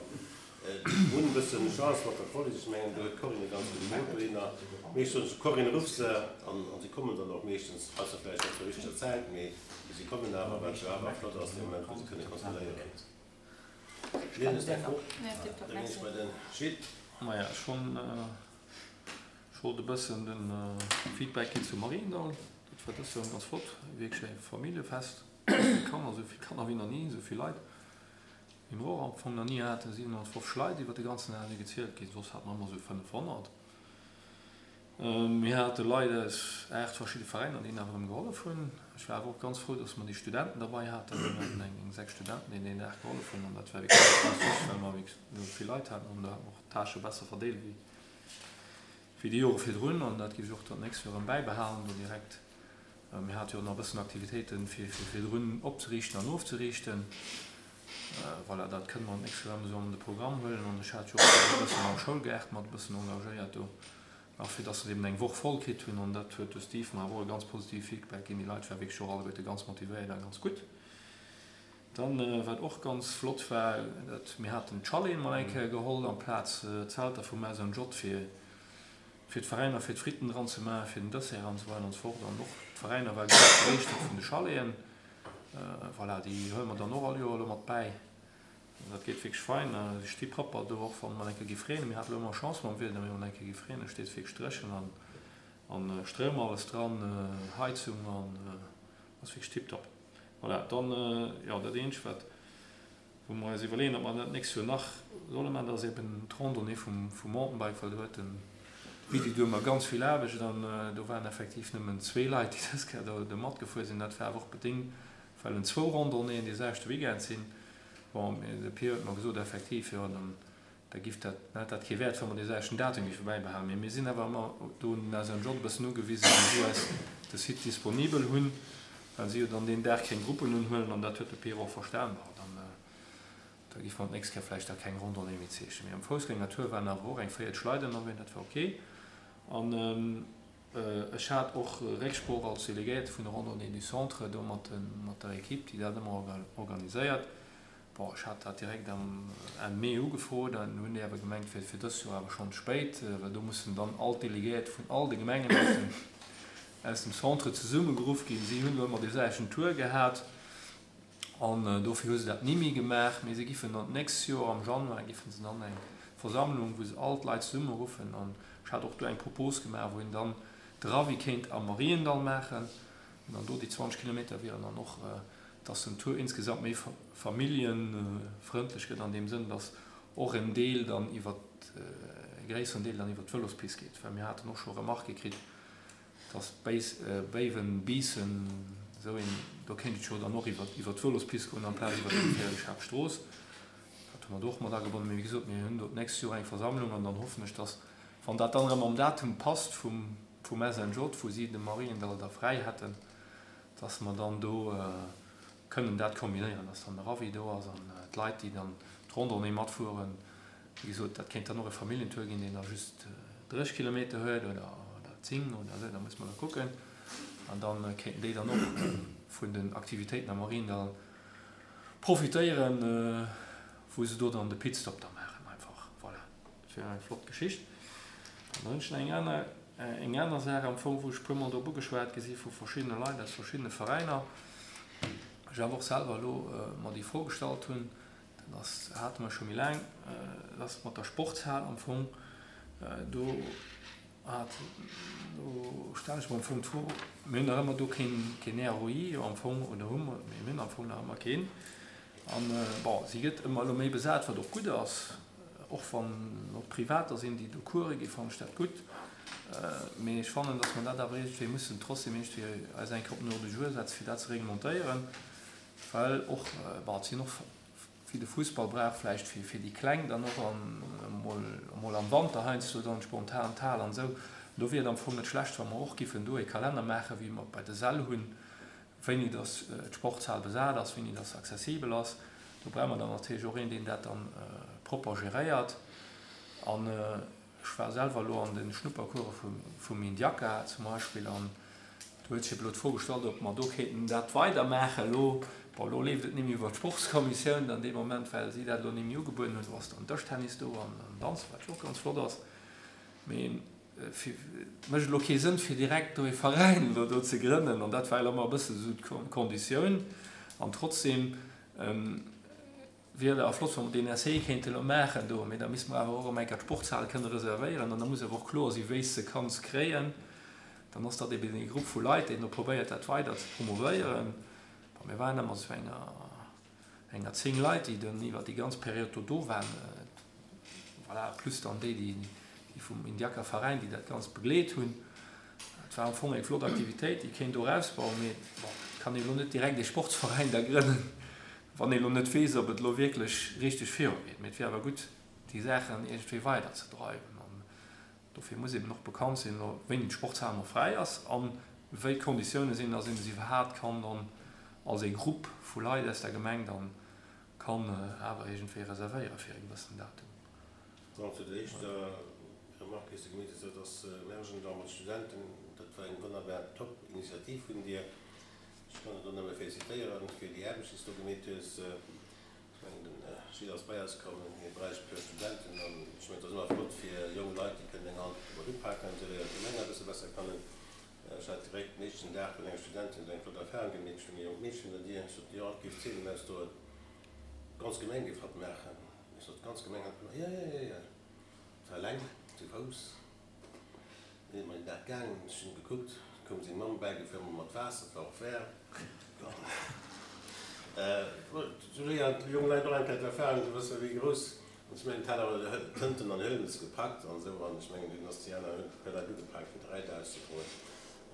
hunn e bëssen Chance mat der Police, ech mengen do huet d'Corinne e ganz gudde Mot dohinner. Meeschtens, Corinne, ruff se an si kommen dann och meeschtens, ausser vläicht net zur richteger Zäit, mee si kommen awer, wat jo awer flott ass dee Moment, wou se kënne kontrolléieren. Maja, ech hunn, ech wollt e bëssen de Feedback ginn zu Mariendall. Dat war dëst Joer ganz flott, wierklech e Familljefest. Esou vill Kanner, esou vill Kanner wéi nach ni, esou vill Leit wéi mer och am Fong nach ni haten. 750 Leit iwwer de ganzen Dag si gezielt ginn, soss hate mer ëmmer esou 500. Mir hate Leit aus 8 verschidde Veräiner, déi nach erëm gehollef hunn. Ech war awer och ganz frou, dass mer déi Studenten derbei haten. Mir haten eng 6 Studenten, déi deen Dag gehollef hunn an dat war wierklech ganz wichteg, well mer wierklech esou vill Leit haten an do hate mer och d'Tâchë besser verdeelt wéi wéi déi Jore virdrun an dat géif ech och dann d'nächst Joer erëm bäibehalen do direkt. Mir hate jo och nach e bëssen Aktivitéiten, fir fir virdrun opzeriichten an ofzeriichten. Voilà, dat kënne mer d'nächst Joer erëm esou an de Programm huelen. An ech hat jo och e bëssen am Schoulgaart mat e bëssen engagéiert do, nach fir dass se eben eng Woch voll kritt hunn. An dat huet de Steve mer awer och e ganz positive Feedback ginn. Déi Leit ware wierklech och alleguerte ganz motivéiert a ganz gutt. Dann, wat och ganz flott war, dat mir haten d'Chaleten mol eng Kéier geholl amplaz d'Zelter vum SNJ fir fir d'Veräiner fir d'Fritten dran ze maachen, fir den Dessert an esou weider an esou fort. An och d'Veräiner ware ganz begeeschtert vun de Chaleten. Voilà, déi huele mer dann och all Joer elo mat bäi. Dat geet wierklech fein. Si sti propper do, och wann et eng Kéier géif reenen. Mir hate elo ëmmer Chance mam Wieder, mee wann et eng Kéier géif reenen, steet et wierklech dréchen an an Stroum alles dran, Heizung an ass wierklech tiptop. Voilà, dann, jo, dat eenzegt wat wou mer eis iwwerleeën, ob mer dat d'nächst Joer nach solle maachen, dat ass eben d'Randonnée vum Mountainbike, well do huet den Midi du ëmmer ganz vill Aarbecht an do waren effektiv nëmmen zwee Leit, déi dës Kéier do matgefuer sinn. Dat war awer och bedéngt, well en zwou Randonnéeën dee selwechte Weekend sinn. Bon, mee de Pir huet mer gesot, effektiv, jo, dann da giff dat, dann hätt dat kee Wäert, wa mer dee selwechten Datum géife bäibehalen. Mee mir sinn awer ëmmer do un den SNJ e bëssen ugewisen, wéi si eis de Site disponibel hunn, well si jo dann deen Dag keng Gruppen unhuelen an dat huet de Pir och verstan. Bon, dann. Da géife mer d'nächst Kéier vläicht da keng Randonnée méi zeechnen. Mee am Foussgängertour waren awer och eng 40 Leit ënnerwee, dat war ok. An ech hat och Récksprooch als Delegéierte vun der Randonnée du Centre do mat der Equipe, déi dat ëmmer organiséiert. Bon, ech hat dat direkt am Enn Mee ugefrot an hunn déi awer gemengt, et wier fir dëst Joer awer schonn ze spéit, well do mussen dann all d'Delegéierte vun all de Gemengen aus dem Centre zesummegeruff ginn. Si hunn elo ëmmer dee selwechten Tour gehat. An dofir hu se dat ni méi gemaach, mee se giffen dann d'nächst Joer am Januar giffen se dann eng Versammlung, wou se all d'Leit zesummeruffen. An ech hat och do eng Propos gemaach, wou een dann de Ravi kéint am Mariendall maachen. An dann do déi 20 Kilometer wieren dann och, dass den Tour insgesamt méi familljefrëndlech gëtt an deem Sënn, dass och en Deel dann iwwer, e gréisseren Deel dann iwwer d'Vëlospist geet. Well mir haten och scho Remarquë kritt, Dass Béiwen, Biissen, esou een, do kéint et jo dann och iwwer d'Vëlospist goen amplaz iwwer déi geféierlech Haaptstrooss. Dat hu mer do och mat agebonnen. Mee wéi gesot, mir hunn do d'nächst Joer eng Versammlung an dann hoffen ech, dass, wann dat dann erëm am Datum passt vum SNJ, wou si de Mariendall da fräi hätten, dass mer dann do kënnen dat kombinéieren, dass dann de Ravi do ass an d'Leit, déi dann d'Randonnée matfueren, Wéi gesot, dat kéint dann och e Familljentour ginn, deen da just 30 Kilometer huet oder 10 oder esou, da muss mer da kucken. An da kéinten déi dann och vun den Aktivitéiten am Mariendall profitéieren, wou se do dann de Pitstop da maachen einfach. Voilà, dat wier eng flott Geschicht. An dann hunn ech nach eng aner, eng aner Saach am Fong, wou ech e puermol drop ugeschwat gi si vu verschiddene Leit aus verschiddene Veräiner, ech awer och selwer elo mer déi Fro gestallt hunn, Dat ass, hate mer scho méi laang, dat ass mat der Sportshal am Fong. Do hat, do stellen ech mer am Fong d'Fro, mir hunn nach ëmmer do keen, keen ROI jo am Fong, oder hu mer, mee mir hunn am Fong nach ëmmer keen. An, bon, si gëtt ëmmer elo méi besat, wat och gutt ass. Och wann och Privater sinn, déi do Coure ginn, fannen ech dat gutt. Mee ech fannen, datt mer dat awer iergendwéi mussen trotzdem iergendwéi eis eng Kéier op den Ordre du jour setzen, fir dat ze reglementéieren, well och, bon, et sinn och, wéi de Fussball brauch vläicht fir fir déi Kleng dann och an emol emol am Wanter heiansdo dann spontan d'Hal an esou. Do wier et am Fong net schlecht, wa mer och giffen do e Kalenner maachen, wéi mer et bei de Säll hunn, wéini dass d'Sportshal besat ass, wéini dass se accessibel ass. Do brauche mer dann natierlech och een, deen dat dann propper geréiert. An ech war selwer elo an de Schnuppercourse vum Indiaca zum Beispill an do huet sech elo d'Fro gestallt, ob mer do kéinten dat weidermaachen elo. Bon, elo leeft et némme iwwer d'Sportskommissioun dann dee Moment, well si dat elo némme ugebueden hunn. Do ass dann Dëschtennis do an Danzen, wat jo och ganz flott ass. Mee Et mécht elo kee Sënn, fir direkt do ee Veräin elo do ze grënnen. An dat war elo ëmmer e bësse sou d'Konditioun. An trotzdem wier et awer flott, wa mer deen Essai kéinte elo maachen do. Mee da misste mer awer och erëm eng Kéier d'Sportshal kënne reservéieren. An da muss awer och kloer sinn, wéi s de kanns kréien. Dann ass dat eben ee Grupp vu Leit, deen do probéiert, dat weider ze promouvéieren. Bon, mir waren ëmmer zu enger. Enger 10 Leit, déi dann iwwer déi ganz Period do do waren, voilà, plus dann déi, déi vum Indiaca Veräin, déi dat Ganzt begleet hunn. Et war am Fong eng flott Aktivitéit, déi kéint och ausbauen, mee bon, et kann ee lo net direkt ee Sportsveräin da grënnen, wann ee lo net weess, ob et lo wierklech richteg virugeet. Mee et wier awer gutt, déi Saachen iergendwéi weiderzedreiwen. Dofir muss eben och bekannt sinn, wéini d'Sportshal nach fräi ass a wéi d'Konditioune sinn, dass een se iwwerhaapt kann dann als ee Grupp vu Leit aus der Gemeng dann kann awer iergendwéi reservéiere fir e gewëssenen Datum. Bon, zu der éischter Remarque, déi s de gemeet hues, dat ass Märjendall mat Studenten, dat war eng wonnerbar top Initiativ vun dir. Ech kann der do nëmme félicitéieren fir déi Aarbecht, déi s du do gemeet hues. Ech mengen, den Gilles ass bei eis komm, hie bräicht e puer Studenten an ech mengen, et ass ëmmer flott fir jonk Leit, déi kënnen eng Hand mat upaken, esou léiert d'Gemeng e bësse besser kennen. Ech hat direkt den éischten Dag vun enger Studentin esou eng flott Erfahrung gemeet, stoung e jonkt Meedchen un der Dier, ech sot, jo, et géif Zeenen ausdoen, d'ganz Gemeng géif hatt maachen. Ech sot, d'ganz Gemeng hatt maachen? Jo, jo, jo, jo. Et war eleng, zu Fouss. Mir sinn den Dag gaangen, ech hunn gekuckt, koum seng Mamm bäigefuer mat Waasser, et war och waarm. Sou léieren déi jonk Leit och eng Kéier d'Erfahrung, se wësse wéi grouss, an ech mengen, et hat awer Tënten an Hëlmes gepackt an esou, an ech mengen, dunn ass déi aner hunn e puer Leit ugepaakt fir d'Reit auszedroen.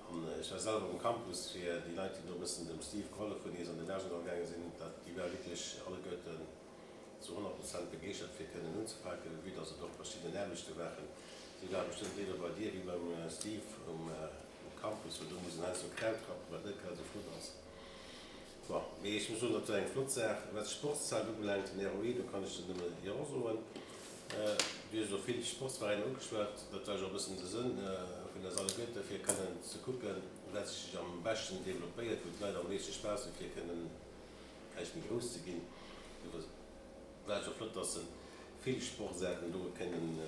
An ech war selwer um Campus fir déi Leit, déi do e bëssen dem Steve gehollef hunn, ier se an den Argentall gaange sinn, dat déi ware wierklech alleguerten zu 100 Prozent begeeschtert fir kënnen unzepaken, vue dass et och verschidden Aarbechte waren. Si ware bestëmmt léiwer bei dir wéi beim Steve um Campus, well do muss en heiansdo Kraut rappen, wat net grad esou flott ass. Bon, mee ech muss soen, dat war eng flott Saach. Wat d'Sportszal ubelaangt, den ROE, do kann ech der nëmme Jo soen. Du hues elo vill Sportsveräiner ugeschwat, dat war jo och e bëssen de Sënn vun der Salle Goethe, fir kënnen ze kucken, wat sech am beschten developpéiert, wou d'Leit am meeschte Spaass hunn, fir kënnen vläicht méi grouss ze ginn. Do war et jo flott, dass vill Sportsaarten do kënnen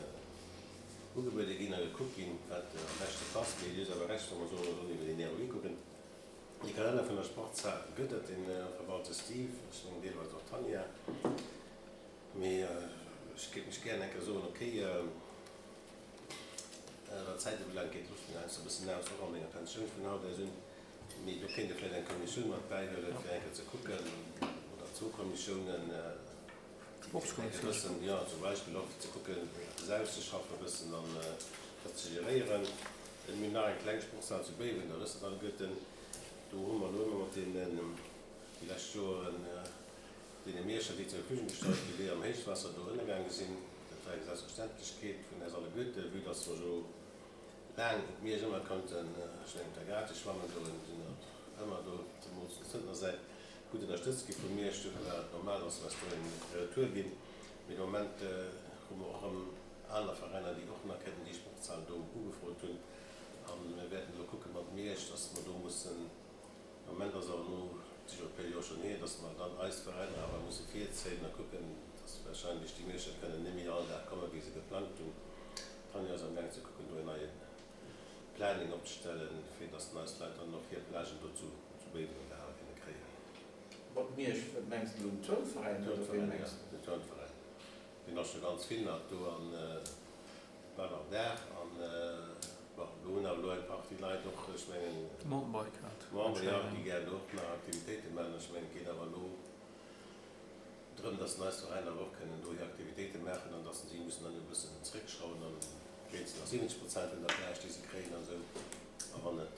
ugebuede ginn a gekuckt ginn, wat am beschte passt. Mee Dir hutt awer Recht, wa mer soen, mer sollen iwwer den ROI kucken. Dee Kalenner vun der Sportshal gëtt et, dee verwalt de Steve, ech mengen deelweis och d'Tanja. Mee ech géif mech gären eng Kéier soen, okay, wat d'Zäit ubelaangt, geet d'Loft mir heiansdo e bëssen aus, och a menger Pensioun vun haut aus un. Mee do kéint ee vläicht eng Kommissioun mat bäihuelen, fir eng Kéier ze kucken, oder zwou Kommissiounen, déi eng Kéier bëssen, jo, zum Beispill och, fir ze kucken, eppes auszeschaffen e bëssen an dat ze geréieren. Mir hunn nach eng kleng Sportshal zu Béiwen, dat wësst Der alleguerten. Do hu mer elo ëmmer mat deenen, déi lescht Joren, deene Mierscher, déi zur Verfügung gestallt ginn, déi am Héichwaasser do ënnergaange sinn. Dat war eng Selbstverständlechkeet vun eis alleguerten, vue dass mer jo Laang op Miersch ëmmer konnten, ech mengen op der gratis schwammen goen, sinn och ëmmer do, zemools vun Zëntner Säit, gutt ënnerstëtzt gi vu Miersch. Dofir war et normal, dass mer eis do eng Retour ginn. Mee de Moment hu mer och erëm aner Veräiner, déi och nach kënnen déi Sportshal do ugefrot hunn. A mir wäerten elo kucke mat Miersch, dass mer do mussen, de Moment ass awer elo et si scho e puer Joer schonn hier, dass mer dann eis Veräiner awer musse virzéien a kucken, dass warscheinlech déi Mierscher kënnen net méi all Dag komme wéi se geplangt hunn. D'Tanja ass am gaang ze kucken do en neie Planning opzestellen, fir dass den eis Leit dann och hir Plagen do zu zu Béiwen an der Hal kënne kréien. Mat Miersch, wat mengs de elo, den Turnveräin oder ween mengs de? Den Turnveräin, deen ass scho ganz vill nach do an war nach Dag an bon, do hunn awer elo eng Partie Leit och, ech mengen Mountainbike hat Member, jo, déi gären do och nach Aktivitéite maachen. Ech mengen et geet awer elo. drëm, dass eis Veräiner awer och kënnen do hir Aktivitéite maachen an dass si mussen dann e bëssen zréckschrauwen, dann kréien se nach 70 Prozent vun der Plage, déi se kréien an esou. A wann et,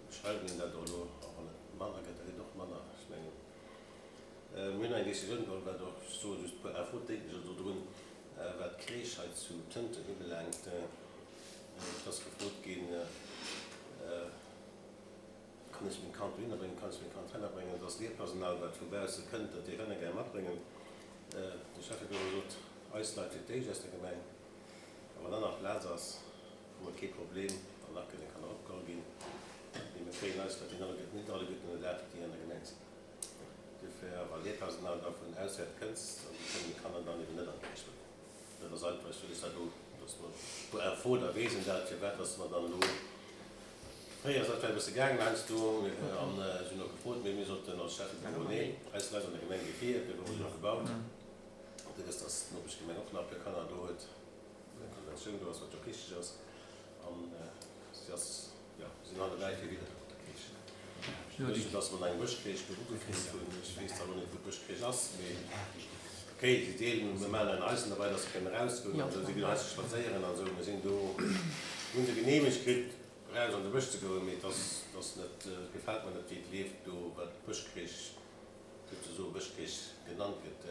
schreiwen een dat och elo, a wann et manner gëtt, da gëtt och manner. Ech mengen, mir hunn eng Décisioun geholl, wat och, ech soe just e puer Info, dénken ech elo drun, wat d'Crèche hei zu Tënten ubelaangt. Et ass gefrot ginn, Kann ech meng Kand dohinner bréngen, kann ech meng Kand heihinner bréngen? Et ass Lehrpersonal, wat vu bausse kënnt, dat dierf ënner gär matbréngen. De Schäffebureau sot, eis Leit fir d'éischt aus der Gemeng, a wann dann nach Plaz ass, hu mer kee Problem, wann nach kënne Kanner opgeholl ginn. Mee mir kréien eis Leit net alleguerten ënner Daach, déi an der Gemeng sinn. Dofir, wa Lehrpersonal da vun auswäert kënnst, dann kënnen déi Kanner dann eben net an d'Crèche bréngen. Dat ass einfach, ech wëll lech dat elo, dass mer puer Info, da weess een dat, firwat dass mer dann elo, fréier ass dat vläicht e bësse gaangen heiansdo, an ech hunn och gefrot, mee mir soten als Schäffebüro, nee, eis Leit an der Gemeng gi vir, duerfir hu se och gebaut. Dir wësst, dass d'Nopeschgemeng och nach e puer Kanner do huet, wou eng Konventioun do ass, wat jo och richteg ass, an si ass, Jo, mir sinn allebäi fir widder op der Crèche. Ech wëss, dass mer eng Bëschcrèche do ugefrot hunn. Ech weess zwar elo net, wou d'Bëschcrèche ass, mee okay, si deelen, mir maachen en Eisen derbäi, dass se kënnen erausgoen an esou. Si ginn heiansdo spadséieren an esou. Mir sinn do, mir hu se geneemegt kritt, eraus an de Bësch ze goen, mee et ass, et ass net, et gefält mer net, wéi et leeft do, wat d'Bëschcrèche, souzesoe Bëschcrèche genannt gëtt,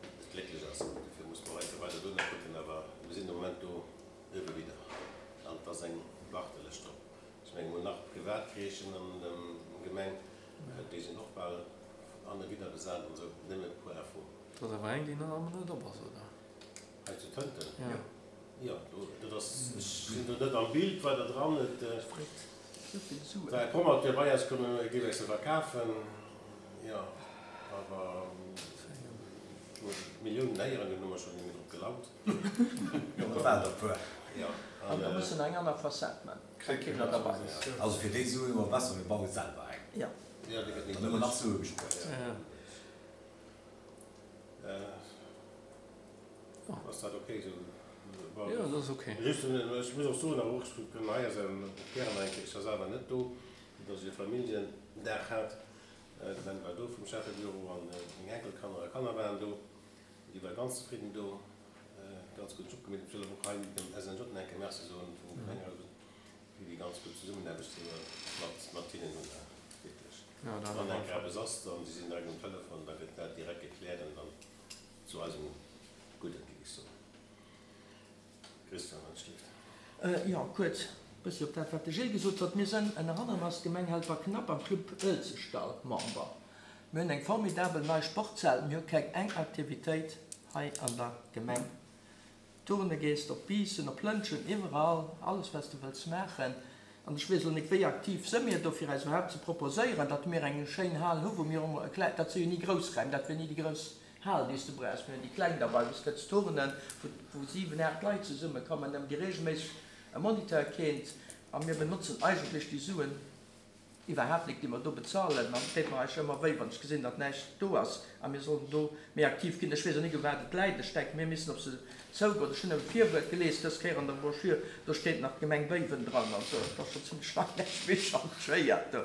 net glécklech ass. Dofir muss mer heiansdo weider dono kucken, awer mir sinn de Moment do. Ebe widder. An et ass eng Wartelëscht drop. Ech menge mer hunn nach privat Crèchen an der Gemeng, déi sinn och bal an e widder besat an esou. Nëmme e puer Info. Et ass awer eng, déi nach ëmmer net op ass, oder? Hei zu Tënten? Jo. Jo, do, dat ass, ech sinn do net am Bild weider dran. Et war e Promoteur bei eis komm, e géif eis se verkafen. Jo, awer Milliounen héieren, dunn hu mer schonn net méi drop gelangt. Jo, dat waren der e puer. An da muss en eng aner Fassad man. Also fir déi Suen hu mer besser, mir baue selwer eng. Jo. Dann hu mer nach Sue gespuert. Ass dat ok esou? Jo, dat ass ok. Just, ech muss och soen, awer och, ech kënn hei ass och gären nach eng Kéier, ech war selwer net do, datt ech e Familljendag hat. De Ben war do vum Schäffebüro an meng Enkelkanner a Kanner waren do. Déi war ganz zefridden do, ganz gudden Job gemeet. Ech wëll awer och hei dem SNJ nach eng Kéier Merci soen vum Gemengerot, fir déi ganz gutt Zesummenaarbecht, déi mer mat mat hinnen hunn. Wierklech, wann eng Kéier eppes ass, dann si si direkt um Telefon, da gëtt dat direkt gekläert an dann zu eisem Gudden, géif ech soen. Christian, wann et schléift. Jo, kuerz e bëssi op dat, wat de Gilles gesot huet. Mir sënn ënner anerem als Gemeng Helperknapp am Club Uelzechtdall Member. Mir hunn eng formidabel nei Sportshal. Mir hu keng eng Aktivitéit hei an der Gemeng. Turne gees op Biissen, op Lëntgen, iwwerall, alles wat s de wëlls maachen. An ech weess elo nik, wéi aktiv së mir do, fir eis iwwerhaapt ze proposéieren, datt mir eng schéin Hal hu wou mir och emol e klei, dat si jo ni grouss Räim, dat wier ni déi grouss Hal, déi s de brauchs. Mir hunn déi kleng derbei, wou s kënns turnen, wou wou 7, 8 Leit zesummekommen, ëm déi regelméisseg e Moniteur kéint. A mir benotzen eigentlech déi Suen iwwerhaapt nik, déi mer do bezahlen. An et deet mer eigentlech ëmmer wéi, wann ech gesinn, datt näischt do ass a mir sollen do méi aktiv ginn. Ech weess och nik, u wat et läit. Ech denken, mir missen op se zougoen. Ech hunn e Virwuert gelies dës Kéier an der Broschür, do steet nach d'Gemeng Béiwen dran. Also et ass schonn zimlech laang näischt méi changéiert do.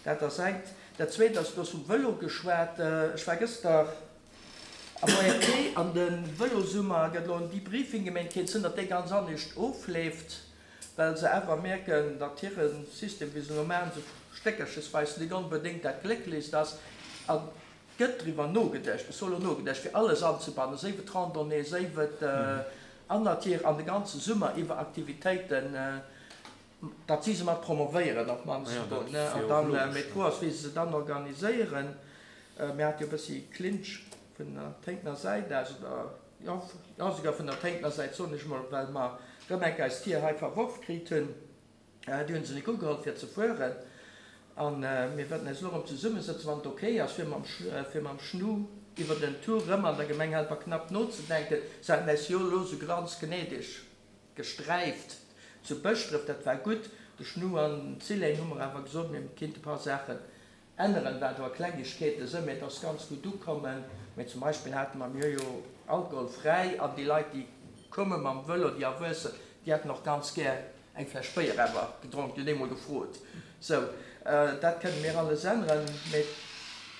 Dat ass engt. Dat Zweet ass, du hues vum Vëlo geschwat. Ech war gëschter am ORT an de Vëlosummer gëtt elo en Debriefing gemeet. Kéint sinn, datt dee ganz anescht ofleeft, well se awer mierken, datt hire System, wéi se elo maachen, sou stéckerchesweis net onbedéngt dat glécklechst ass. A gëtt driwwer nogeduecht, ech soe lo nogeduecht, fir alles anzebannen, séif et Randonnée, séif et Annertier an de ganze Summer iwwer Aktivitéiten. Datt si se mat promovéieren op d'mannst emol, ne? An dann, mee d'Fro ass, wéi se se dann organiséieren. Mir hate jo e bëssi Clinch vun der Téintener Säit aus, oder jo, jo souguer vun der Téintener Säit, soen ech emol, well mer rëm enk eis Tier hei verworf kritt hunn. Déi hu se nik ugeholl fir ze fueren. A mir wäerten eis elo erëm zesummesëtzen, wann et ok ass, fir mam, fir mam Schnu iwwer den Tour rëm an der Gemeng Helperknapp nozedenken. Se haten äis jo elo esou ganz gnädeg Gesträift zu Bëschdref, dat war gutt. De Schnu an d'Silène hu mer awer gesot, mir kinnte e paar Saachen änneren, wat awer Klengegkeete sënn, mee et ass ganz gutt ukommen. Mee zum Beispill hate mer, mir hu jo alkoholfräi, an déi Leit, déi komme mam Vëlo, déi Erwuessen, déi hätten och ganz gär eng Fläsch Béier awer gedronk, déi hunn eemol gefrot. Sou, dat kënne mir alles änneren, mee.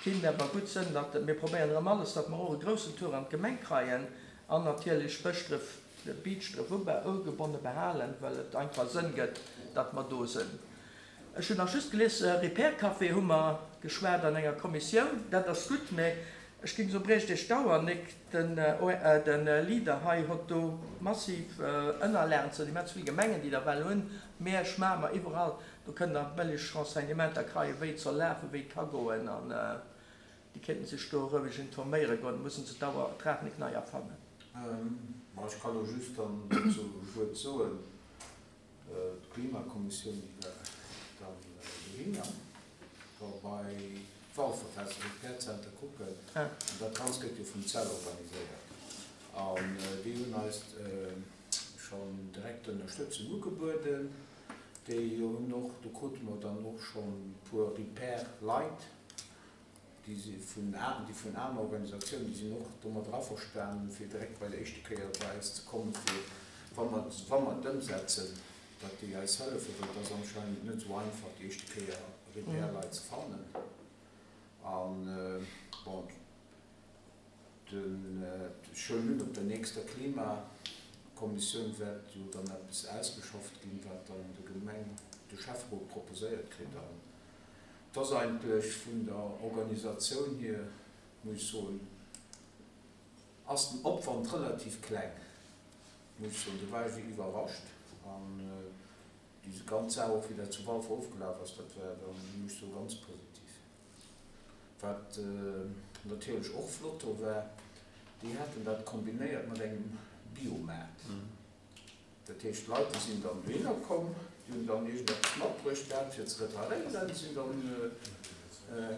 Kinnt awer gutt sënn, datt mir probéieren erëm alles, datt mer och e groussen Tour an d'Gemeng kreien an natierlech Bëschdref, Beachdref ugebonne behalen, well et einfach Sënn gëtt, datt mer do sënn. Ech hunn nach just gelies, Repair Café hu mer geschwat an enger Kommissioun, dat ass gutt, mä ech géing soen, briecht Iech d'Auer nik, den Leader hei hott do massiv Ënnerlagen zu immens vill Gemengen, déi der well hunn, Miersch, Mamer, iwwerall, do kënnt der bëlleg Renseignementer kreien, wéi et soll lafen, wéi et ka goen an déi kéinten sech do roueg informéiere goen, mussen se d'Auer, d'Rad nik nei erfannen. Ma ech ka lo just dann dozou e Wuert soen. D'Klimakommissioun, déi war dann dohinner, war bei d'Walferfest, also d'Repair Center kucken. An dat Ganzt gëtt jo vum cell organiséiert. An déi hunn eis schonn direkt Ënnerstëtzung ugebueden. Déi hunn och, do krute mer dann och schonn e puer Repair-Leit, Déi si vun, déi vun aner Organisatiounen, déi sinn och domadder averstanen, fir direkt bei der éischte Kéier bei eis ze kommen, fir, wa mer, wa mer et ëmsetzen, datt déi eis hëllefen, well et ass anscheinend net esou einfach, déi éischte Kéier Repair-Leit ze fannen. An, bon, den, ech huelen un, op der nächster Klimakommissioun wäert jo dann eppes ausgeschafft ginn, wat dann de Gemeng, de Schäfferot proposéiert kritt. An Et ass eigentlech vun der Organisatioun hier, muss ech soen, ass den Opwand relativ kleng, muss ech soen. Do war ech iwwerrascht. An déi ganz Saach och, wéi dat zu Walfer ofgelaf ass, dat war dann, muss ech soen, ganz positiv. Wat natierlech och flott do war, déi haten dat kombinéiert mat engem Biomaart. Dat heescht, d'Leit, déi sinn dann dohinner komm, déi hunn dann iergendeppes matbruecht gehat, fir ze reparéieren, déi sinn dann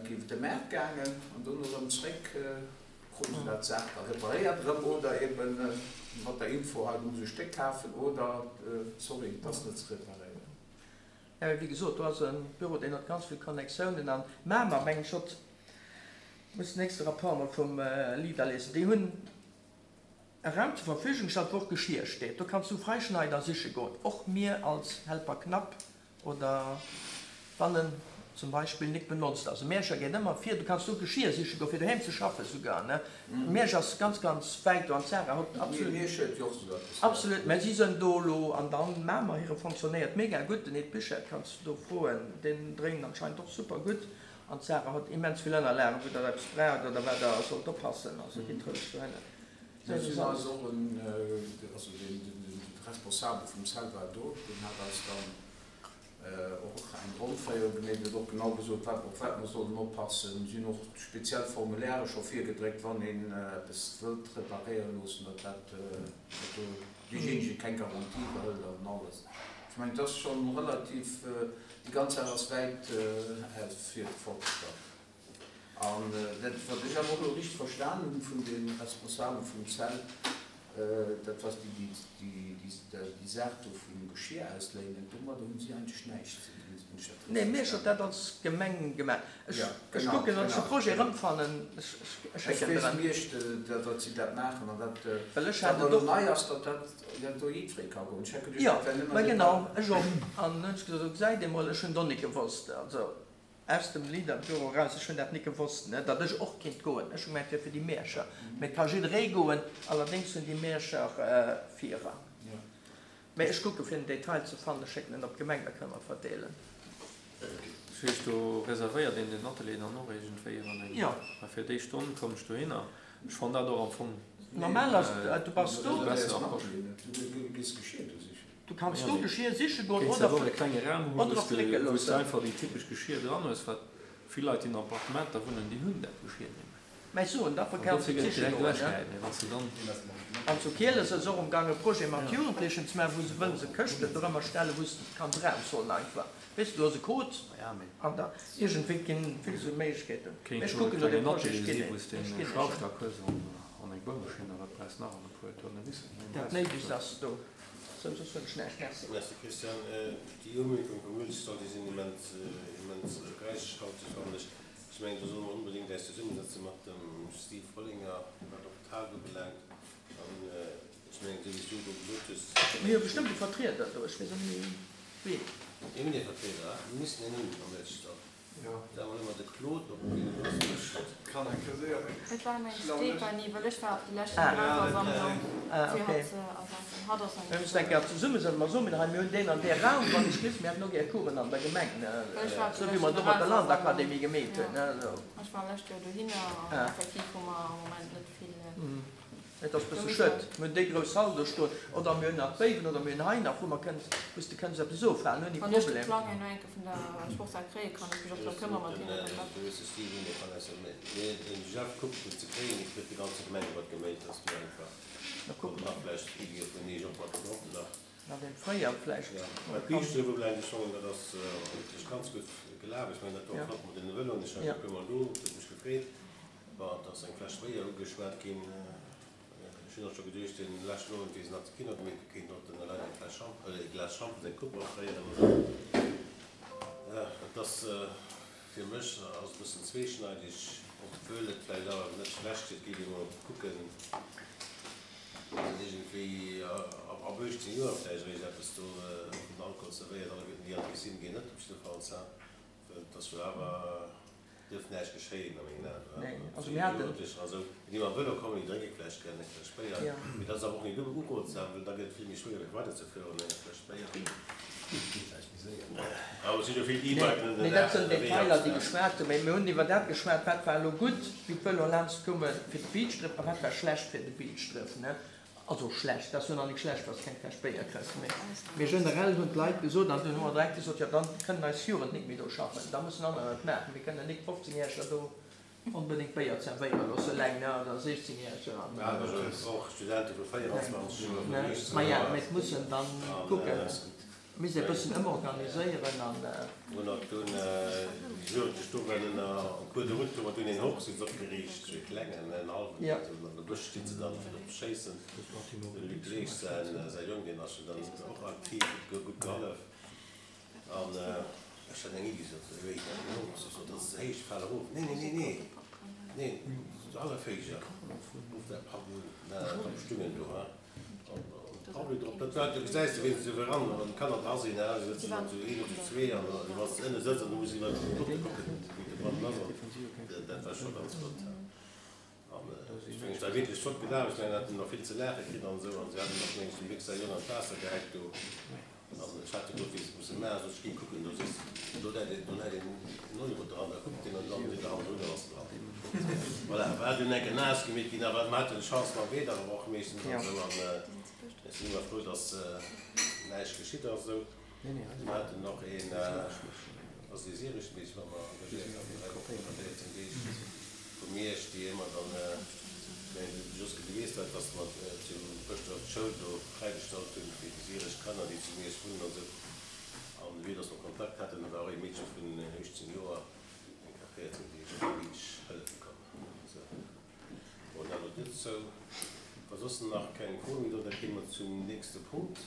géint de Maart gaangen an dono erëm zréck, kruten se dat d'Saach da reparéiert erëm oder eebe mat der Info, hei, du muss e Stéck kafen oder sorry, et ass net ze reparéieren. Jo, mee wéi gesot, do ass e Büro, deen huet ganz vill Connectiounen an Mamer, mengen ech, huet, muss den nächste Rapport emol vum Leader liesen, déi hunn, E Raum zur Verfügung gestallt, wou och Geschir steet. Do kanns du Freischneider siche goen. Och mir als Helper Knapp oder wann en zum Beispill nik benotzt ass. E Mierscher geet ëmmer vir. Du kanns do Geschir siche goen, fir doheem ze schaffen souguer, ne? Miersch ass ganz, ganz wäit do an d'Sarah huet absolut. Miersch huet jo och esou eppes. Absolut, mä si sënn do elo an dann Mamer hire fonctionnéiert mega gutt. Den Ed Buchert kanns du do froen, deen dréint anscheinend och super gutt. An d'Sarah huet immens vill Ënnerlagen, wou der eppes braucht oder wat der sollt oppassen. Also gitt roueg dohinner. Mir sinn eis och en, also den Responsabel vum Cell war do, deen hat eis dann och eng Rondféierung gemeet, huet och genau gesot, wat, op wat mer sollen oppassen. Si hunn och speziell Formulaire scho virgedréckt, wann een eppes wëllt reparéiere loossen, datt dat, datt do deejéinege keng Garantie iwwerhëlt an alles. Ech mengen, et ass schonn relativ, déi ganz Saach ass wäit ausfir fortgeschratt. An dat, wat ech awer och elo richteg verstan hunn vun de Responsabelen vum Cell, dat ass déi, déi Saach do vum Geschir ausléinen, domadder hunn si eigentlech näischt ze dinn, wann ech dat richteg Nee, mir hu dat als Gemeng gemaach. Ech kucken, wann ech de Projet erëmfannen, ech schécken der en. Ech weess net, datt si dat maachen an dat, Well ech hat et och. Nei ass, datt dat do jiddweree ka goen. Ech hat geduecht, dat wär nëmmen. Jo, mä genau, ech och. An hunn ech gesot, gesäit ee mol, ech hunn et och net gewosst. Also. Aus dem Leader-Büro eraus, ech hunn dat nik gewosst, ne, datt ech och kinnt goen. Ech hu gemengt, et wier fir déi Mierscher. Mee et ka jidderee goen, allerdéngs hunn déi Mierscher Virrang. Mee ech kucke fir den Detail ze fannen, ech schécken en op d'Gemeng, da kënne mer et verdeelen. Dat heescht, do reservéiert een den Atelier dann och iergendwéi an eng, well fir déi Stonn komm ech dohinner. Ech fannen dat och am Fong Normal ass, du bass do. Déi besser Approche. Du gees Geschir do sichen. Du kanns do Geschir siche goen oder och e klenge Raum hunn, wou s de wou s de einfach déi typesch Geschir dran hues, wat vill Leit déi an Appartementer wunnen, déi hunn dat Geschir net méi. Mä ech soen, dafür kanns du siche goen, ne? Mee wann s de dann. An zu Kieles ass och amgang e Projet mat Jugendlechen ze maachen, wou se wëllen se Këschten dorëmmer stellen, wou s de kanns eraushuelen einfach. Weess de, du hues e Code an da iergendwéi ginn vill esou Méiglechkeeten. Kéint Ech jo e kucken no klengen deem Projet, Atelier ech ginn si een, wou s de ech en ginn een. Schraufstack hues an eng Bohrmaschinn a wat brauchs nach an e puer Tournevissen. Dat Néidegst ass do. Sou, soss hunn ech näischt. Merci. Merci Christian. Déi Umierkung vum Müllstall, déi sinn immens, immens räichhalteg, fannen ech. Ech mengen, do solle mer onbedéngt äis zesummesetze mat dem Steve Rollinger, wat och d'Hal ubelaangt. An ech mengen, esou wéi s du elo gesot hues. Mir hu bestëmmt e Vertrieder do, ech weess awer ni ween. Mir hunn ee Vertrieder, mir missten een hunn am Mëllchstall. Da hunn mer de Claude op deen ass mech. Kann eng Kéier séier eng. Et war eng Stéphanie, well ech war op déi lescht Generalversammlung fir hatt ze ersetzen. Hatt ass Mir mussen eng Kéier zesummesetzen, mer soen, hei mir hunn deen an dee Raum, wann ech weess, mir hätten och gär Coursen an der Gemeng, esou wéi mer do mat der Landakademie gemeet hunn. Ech war lescht Joer dohinner an effektiv hu mer am Moment net vill. Et ass bësse schued. Mir hunn déi grouss Hall do stoen, oder mir hunn nach Béiwen, oder mir hunn hei nach, wou mer kënnen, wou s de kënns eppes ofhalen ouni Wann ech de Problem. Plang herno eng Kéier vun der Sportshal kréie kann, ech mech och drëm këmmere mat hinne Kontakt. Du hues de Steve Uno kann aus dem mee den Jeff kuckt fir ze kréien. Ech huet de ganze Gemengerot geméit, dass mir einfach Na kucke mer. Nach vläicht Iddie vun Iech och mat drop nach. Nach dem Fréier vläicht. Jo, mä d'Biischte wou bleiwen, ech mengen dat ass wierklech ganz gutt gelaf. Ech mengen dat war och flott mat deene Vëloen. Ech war e puermol do, et huet mech gefreet. Bon, et ass eng Fläsch Béier ugeschwat ginn. Ech hunn och scho geduecht, dee leschten Owend, wéi se nach de Kino gemeet hu, kéint och den Alain eng Fläsch Champ, e Glas Schampes, eng Coupe offréieren oder esou. Et ass, fir mech ass e bëssen zweeschneideg, obwuel et vläicht awer net schlecht wier, et géif ee mol kucken, dass een iergendwéi ab 18 Joer vläicht eréischt eppes do vun Alkohol zerwéiert. Alleguerten déi an d'Piscine ginn net op jiddefalls, well et ass jo awer. Dierf näischt geschéien a mengen Aen. Nee, also mir haten. Jugendlecher a sou, déi mam Vëlo kommen, déi drénke vläicht gär eng Fläsch Béier, mee dat ass awer och net urotsam, well da gëtt et vill méi schwéier fir weiderzefueren no enger Fläsch Béier. Geet vläicht méi séier. Awer et si jo vill E-Biken Nee, dat sënn Detailer, déi geschwat hunn. Mee mir hunn iwwer dat geschwat, wat war elo gutt, wéi d'Vëloe laanscht koume fir de Beachdriff a wat war schlecht fir de Beachdriff, ne? Also schlecht, dat ass jo nach nik schlecht, wann s de keng Fläsch Béier kriss, mee generell hunn d'Leit gesot, an dunn hu mer direkt gesot, jo dann kënnen eis Jugend nik méi do schaffen, da mussen anerer et maachen, mir kënnen nik 15 Järeger do onbedéngt Béier zerwéiere loosse eleng, ne, oder 16 Järeger an. Och Studente vu 24 Joer, vun 18 Maja, mee et muss en dann kucken. Misst ee bëssen ëmorganiséieren an. Hunn och dunn déi Jugendlech do waren ënner en cours de route, hu mer dunn een Hochsitz opgeriicht, sou ee klengen, en hallwen, esou an de Bësch sti se dann fir drop ze schéissen. De Luc Leesch säin säi Jong, deen ass jo dann och aktiv, huet gutt gehollef. An ech hat eng Iddi, sot de Wéi, den Hochsitz, sot, dat ass ze héich, fal erof. Nee, nee, nee, nee, nee, hallef héijer, ruff däi Papp un, na, da stungen do, hein. Dat war, du gesäis de wéi se eran an d'Kanner dra sinn, se sëtzen dann zu een oder zu zwee an wann s de ënne sëtz an du muss iwwer d'Luuchte kucken, wéi de Brand ass an dat war scho ganz flott. An ech mengen, et war wierklech flott gelaf, ech mengen, haten nach vill ze laache kritt an esou an se haten och mengen ech dem Luc säi Jong an d'Waasser gehäit do. An ech hat jo wéi se musse maachen, sot ech, géi kucken, do sees de, do läit een, do läit een en Euro dran, da kuckt deen an dann seet er, hannendrun ass en dran. Voilà, war dunn enke naass gemeet ginn, awer mer haten Chance mam Wieder awer och meeschtens an esou an ech sinn ëmmer frou, dass näischt geschitt ass esou. Mer haten och een, ass ee syreschen Meedchen, wat mer engagéiert haten, 3 Wochen oder 14 Deeg vu Miersch, déi ëmmer dann, ech mengen, de Joske, du weess dat, dass mer zu Bëschdref d'Schoul do fräigestallt hunn fir déi syresch Kanner, déi zu Miersch wunnen an esou. An vue dass mer Kontakt haten, war och ee Meedche vun 18 Joer eng Kéier 14 Deeg op de Beach hëllefe komm. Sou, bon, dat elo dozou. Wa soss nach keng Froe méi do, da kéime mer zum nächste Punkt.